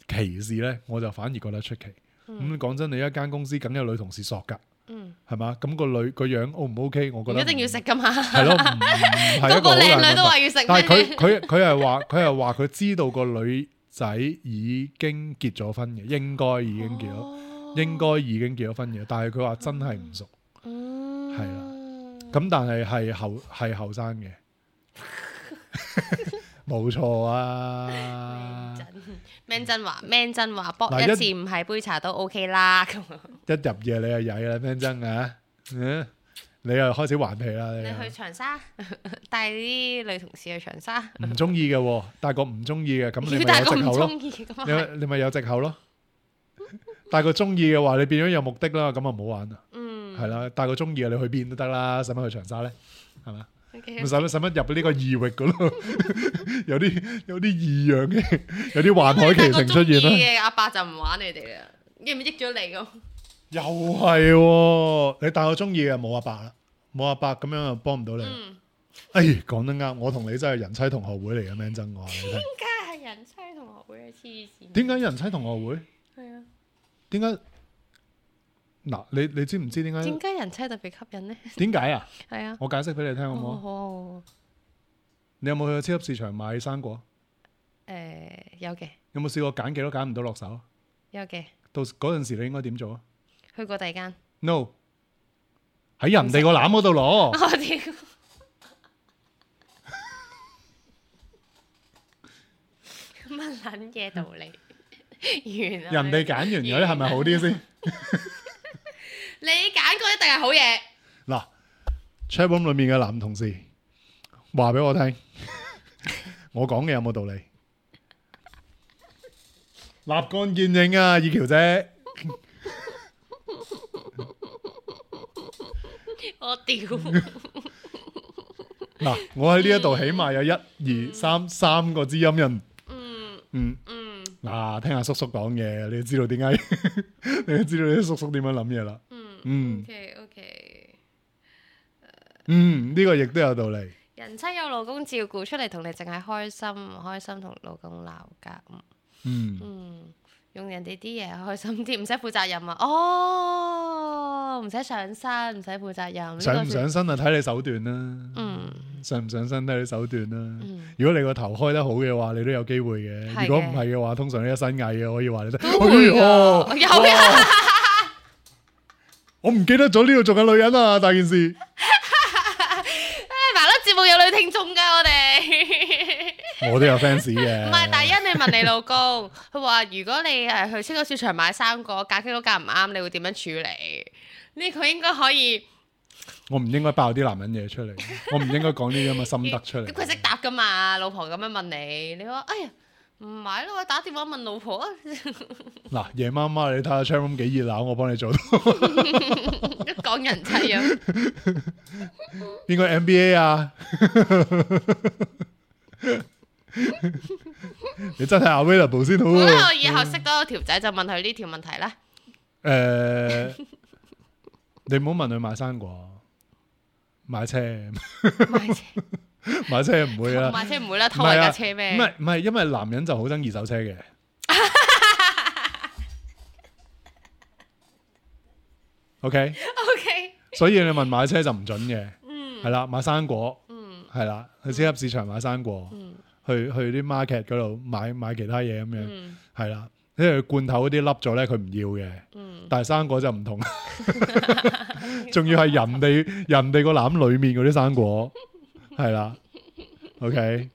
歧視咧，我就反而覺得出奇。咁講、嗯、真，你一間公司梗有女同事索㗎。嗯，係嘛？咁個女個樣 O 唔 OK？我覺得一定要食噶嘛。係咯，唔係一個好靚女都話要食。但係佢佢佢係話佢係話佢知道個女仔已經結咗婚嘅，應該已經結咗，哦、應該已經結咗婚嘅。但係佢話真係唔熟，係啦、嗯。咁但係係後係後生嘅，冇錯啊。Man 真話 Man 真話，搏一次唔係杯茶都 OK 啦。一入夜你就曳啦 Man 真啊，嗯，你又開始頑皮啦。你去長沙帶啲女同事去長沙，唔中意嘅，帶個唔中意嘅，咁你咪有藉口咯。你你咪有藉口咯。帶個中意嘅話，你變咗有目的啦，咁啊唔好玩啦。嗯，係啦，帶個中意嘅你去邊都得啦，使乜去長沙咧？係嘛？咪使乜使乜入呢個異域嗰度？有啲有啲異樣嘅，有啲幻海奇情出現啦。嘅阿伯就唔玩你哋啦，益唔益咗你咁？又係喎，你但我中意嘅冇阿伯啦，冇阿伯咁樣又幫唔到你。嗯，哎，講得啱，我同你真係人妻同學會嚟嘅，man 真我話你聽。點解係人妻同學會嘅黐線？點解人妻同學會？係啊，點解？嗱，你你知唔知點解？點解人妻特別吸引呢？點解啊？係啊，我解釋俾你聽好唔好？好？你有冇去過超級市場買生果？誒，有嘅，有冇試過揀幾多揀唔到落手？有嘅，到嗰陣時你應該點做啊去過第二間。 ？No，喺人哋個籃嗰度攞。我屌！乜撚嘢道理？完啦！人哋揀完嗰啲係咪好啲先？你揀過一定係好嘢。嗱 ，chatroom 裏面嘅男同事話俾我聽，我講嘅有冇道理？立竿見影啊，以喬姐。我屌！嗱，我喺呢一度起碼有一二三三個知音人。嗯嗯。嗯嗱，聽下叔叔講嘢，你就知道點解，你就知道啲叔叔點樣諗嘢啦。嗯嗯 OK OK。嗯，呢個亦都有道理。人妻有老公照顧，出嚟同你淨係開心，唔開心同老公鬧交。嗯，嗯，用人哋啲嘢開心啲，唔使負責任啊！哦，唔使上身，唔使負責任。上唔呢個上身啊？睇你手段啦。嗯上唔上身睇你手段啦。嗯，如果你個頭開得好嘅話，你都有機會嘅。係嘅如果唔係嘅話，通常你一身蟻嘅，可以話你得。都會㗎哎呀有啊！哇我唔記得咗呢度做緊女人啊！大件事。誒，麻甩節目有女聽眾㗎，我哋。我都有 fans 嘅。唔係，大欣，你問你老公，佢話如果你誒去超級市場買生果，價傾到價唔啱，你會點樣處理？呢個應該可以。我唔應該爆啲男人嘢出嚟，我唔應該講呢啲咁嘅心得出嚟。咁佢識答㗎嘛？老婆咁樣問你，你話哎呀唔買咯，我打電話問老婆啊。嗱，夜媽媽你睇下 chatroom 幾熱鬧，我幫你做到。一講人妻啊，邊個 M B A 啊？你真係 available 先好咁咧喎。我以後識多條仔就問佢呢條問題啦。誒，你唔好問佢買生果，買車，買車買車唔會啦。買車唔會啦，偷人架車唔咩？係唔係，因為男人就好憎二手車嘅。OK， OK，所以你問買車就唔準嘅。嗯係啦，買生果嗯係啦，去超級市場買生果，嗯去去啲 market 嗰度買買其他嘢咁樣，嗯係啦。因為罐頭嗰啲凹咗咧，佢唔要嘅。嗯，但係生果就唔同，仲要係人哋人哋個籃裏面嗰啲生果，係啦。OK，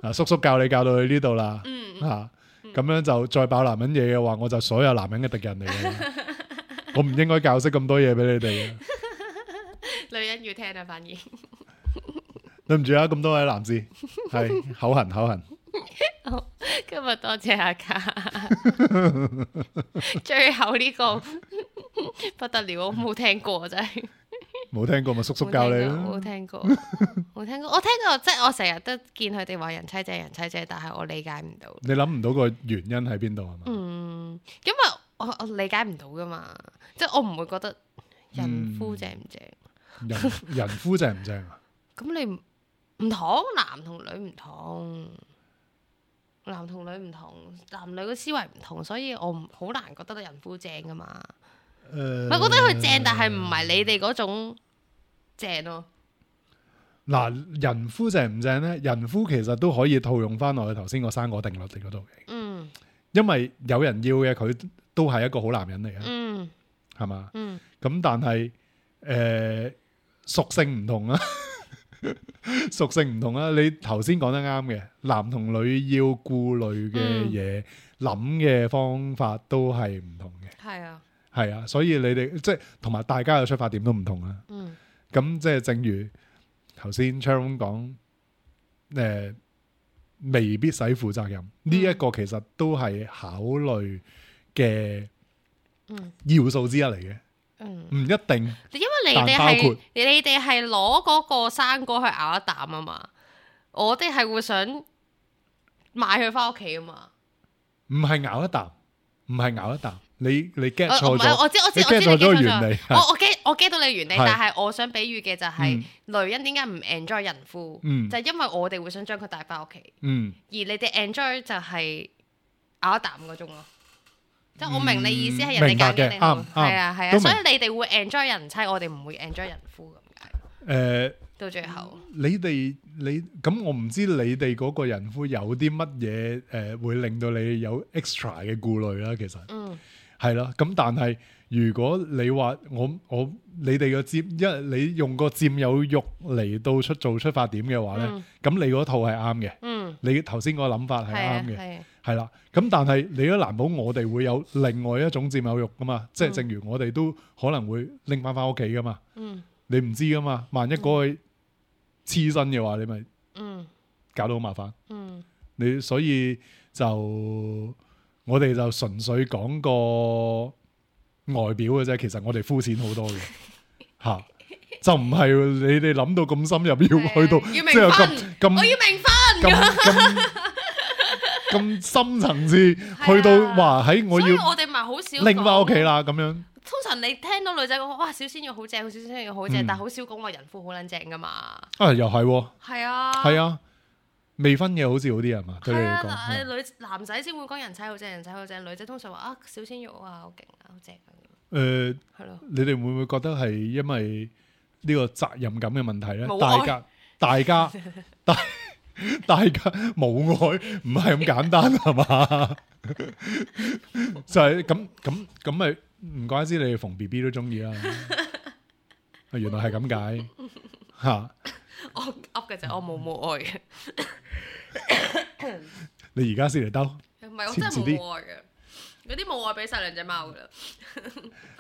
嗱，叔叔教你教到去呢度啦，嗯吓咁樣就再爆男人嘢嘅話，我就所有男人嘅敵人嚟嘅。我唔應該教識咁多嘢俾你哋嘅。女人要聽啊，反而。對唔住啊，咁多位男士，係口痕口痕。好，今日多謝阿卡，最後呢個不得了，我冇聽過真係，冇聽過咪叔叔教你咯。冇聽過，冇聽過，我聽過，即係我成日都見佢哋話人妻姐人妻姐，但係我理解唔到。你諗唔到個原因喺邊度係嘛？嗯，因為我我理解唔到噶嘛，即係我唔會覺得人夫正唔正，人人夫正唔正啊？咁你唔唔同，男同女唔同。男同女唔同，男女嘅思維唔同，所以我唔好難覺得人夫正噶嘛。誒，我覺得佢正，但係唔係你哋嗰種正咯。嗱，人夫正唔正咧？人夫其實都可以套用翻落去頭先個生果定律嚟嗰度嘅，嗯因為有人要嘅佢都係一個好男人嚟嘅，嗯係嘛？嗯咁但係誒屬性唔同啊，屬性唔同啊。你頭先講得啱嘅，男同女要顧慮嘅嘢、諗嘅方法都係唔同嘅。係啊，係啊，所以你哋即係同埋大家嘅出發點都唔同啦。嗯咁即係正如頭先 Charon 講，誒、呃、未必使負責任呢一、個其實都係考慮嘅嗯要素之一嚟嘅。嗯，唔一定。因為你哋但包括係你哋係攞嗰個生果去咬一啖啊嘛，我哋係會想買佢翻屋企啊嘛。唔係咬一啖，唔係咬一啖，你你 get 我錯咗，唔係我知我知你我知 get 錯咗你 get 錯原理。我我 get 我 get 到你原理，係但係我想比喻嘅就係嗯女人點解唔 enjoy 人夫，嗯就係因為我哋會想將佢帶翻屋企，嗯，而你哋 enjoy 就係咬一啖嗰種咯。即係我明你意思係人哋明白嘅揀嘅你好，啱啱係啊係啊，都明所以你哋會 enjoy 人妻，我哋唔會 enjoy 人夫咁解。誒，到最後，你哋你咁，我唔知你哋嗰個人夫有啲乜嘢誒，會令到你有 extra 嘅顧慮啦。其實嗯係啦，咁但係如果你話我我你哋個佔，因為你用個佔有欲嚟到出做出發點嘅話咧，嗯咁你嗰套係啱嘅，嗯，你頭先個諗法係係啊啱嘅。係啊，係啦，咁但係你都難保我哋會有另外一種佔有欲噶嘛，即係正如我哋都可能會拎翻翻屋企噶嘛，嗯你唔知噶嘛，萬一嗰個黐身嘅話，你咪嗯搞到好麻煩。嗯你所以就我哋就純粹講個外表嘅啫，其實我哋膚淺好多嘅吓，就唔係你哋諗到咁深入，要去到要即係明分咁咁我要明分咁咁咁深層次，去到話喺我要所以我哋咪好少拎翻屋企講。啦咁樣。通常你聽到女仔講哇小鮮肉好正，小鮮肉好正，嗯但係好少講話人夫好撚正噶嘛。啊，又係喎，係啊，係啊，未婚嘅好似好啲係嘛？對你係嚟講，啊，係女男仔先會講人妻好正，人妻好正，女仔通常話啊小鮮肉啊好勁啊好正啊咁，誒，係咯。你哋會唔會覺得係因為呢個責任感嘅問題咧？冇愛大家大家大大家冇愛，唔係咁簡單係嘛？就係咁咁咁咪唔怪之你哋逢 B B 都中意啦。啊原來係咁解嚇。我噏嘅啫，我冇冇愛嘅，你而家先嚟兜，唔係我真係遲啲冇愛嘅。嗰啲冇愛俾晒兩隻貓噶啦。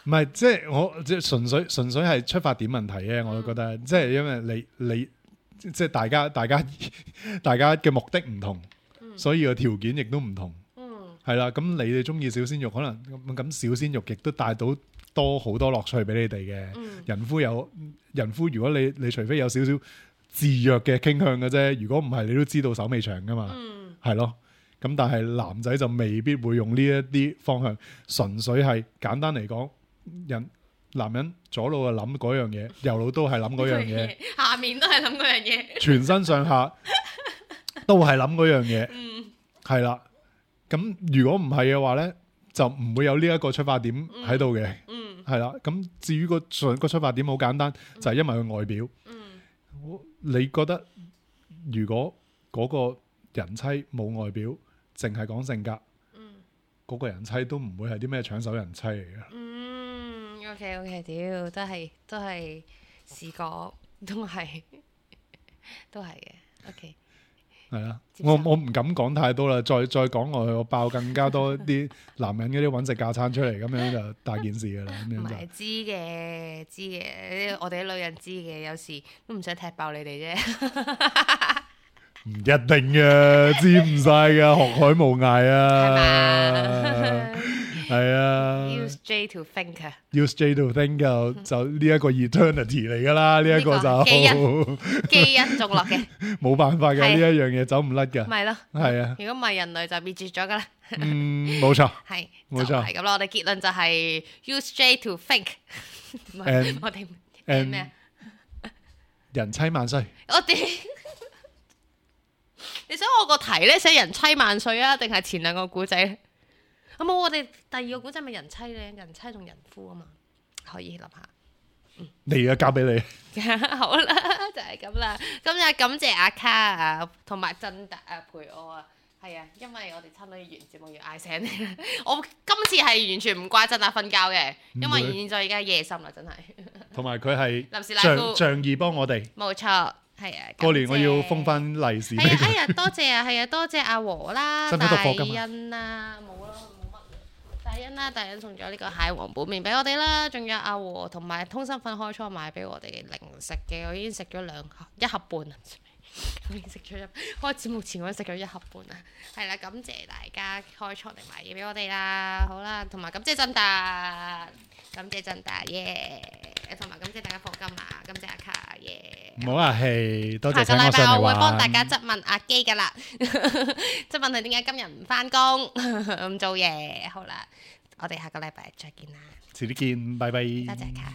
唔係即係我即係純粹純粹係出發點問題嘅，我都覺得即係因為你你即係大家大家大家嘅目的唔同，所以個條件亦都唔同。嗯係啦，咁你哋中意小鮮肉，可能咁咁小鮮肉亦都帶到多好多樂趣俾你哋嘅。嗯人夫有人夫，如果你你除非有少少自虐嘅傾向嘅啫，如果唔係，你都知道手尾長噶嘛，嗯係咯。咁但係男仔就未必會用呢一啲方向，純粹係簡單嚟講，人男人左腦就諗嗰樣嘢，右腦都係諗嗰樣嘢，下面都係諗嗰樣嘢。全身上下都係諗嗰樣嘢，嗯係啦。咁如果唔係嘅話咧，就唔會有呢一個出發點喺度嘅，嗯係啦。咁至於個出個出發點好簡單，就係因為佢外表。嗯你覺得如果嗰個人妻冇外表，淨係講性格，嗯嗰個人妻都唔會係啲咩搶手人妻嚟嘅。嗯，OK OK，屌都係都係試過，都係都係嘅。OK，係啊，接受我我唔敢講太多啦，再再講落去，我爆更加多啲男人嗰啲揾食架餐出嚟，咁樣就大件事噶啦，咁樣就唔係知嘅知嘅，我哋啲女人知嘅，有時都唔想踢爆你哋啫。唔一定嘅，知唔晒噶，學海無涯係啊，嘛係啊 ？Use J to think 啊， ，use J to think 就就呢一個 eternity 嚟噶啦，呢一個呢就個基因基因種落嘅，冇辦法嘅，呢係一樣嘢走唔甩噶，咪咯。係啊，如果唔係人類就滅絕咗噶啦。嗯，冇錯。係，冇錯就係咁啦。我哋結論就係 use J to think 唔係。 And- 我哋 and- 咩啊？人妻萬歲，我哋你想我個題咧寫人妻萬歲啊，定係前兩個古仔咧？咁冇，我哋第二個古仔咪人妻咧，人妻同人夫啊嘛，可以諗下。你而家交俾你。好啦，就係咁啦。今日感謝阿卡啊，同埋振達啊陪我啊。係啊，因為我哋差唔多要完節目要嗌醒你啦。我今次係完全唔怪振達瞓覺嘅，因唔會為現在而家夜深啦，真係。同埋佢係臨時賴仗夫仗義幫我哋。冇錯，係啊。過年我要感謝封翻利是俾係啊，哎佢。呀，多謝啊，係啊，多謝阿和啦，使唔使大讀課金啊欣啦，冇啦，冇乜。大欣啦，大欣送咗呢個蟹黃拌麵俾我哋啦，仲有阿和同埋通心粉開初買俾我哋零食嘅，我已經食咗兩盒一盒半啦。我已經食咗一開節目前我食咗一盒半啦，係啦，感謝大家開倉定買嘢俾我哋啦，好啦，同埋感謝真達，感謝真達耶，同埋感謝大家課金啊，感謝阿卡耶，唔好客氣，多謝請我下個禮拜上嚟玩。我會幫大家質問阿基噶啦，質問佢點解今日唔翻工唔做嘢，好啦，我哋下個禮拜再見啦，遲啲見，拜拜。多謝卡。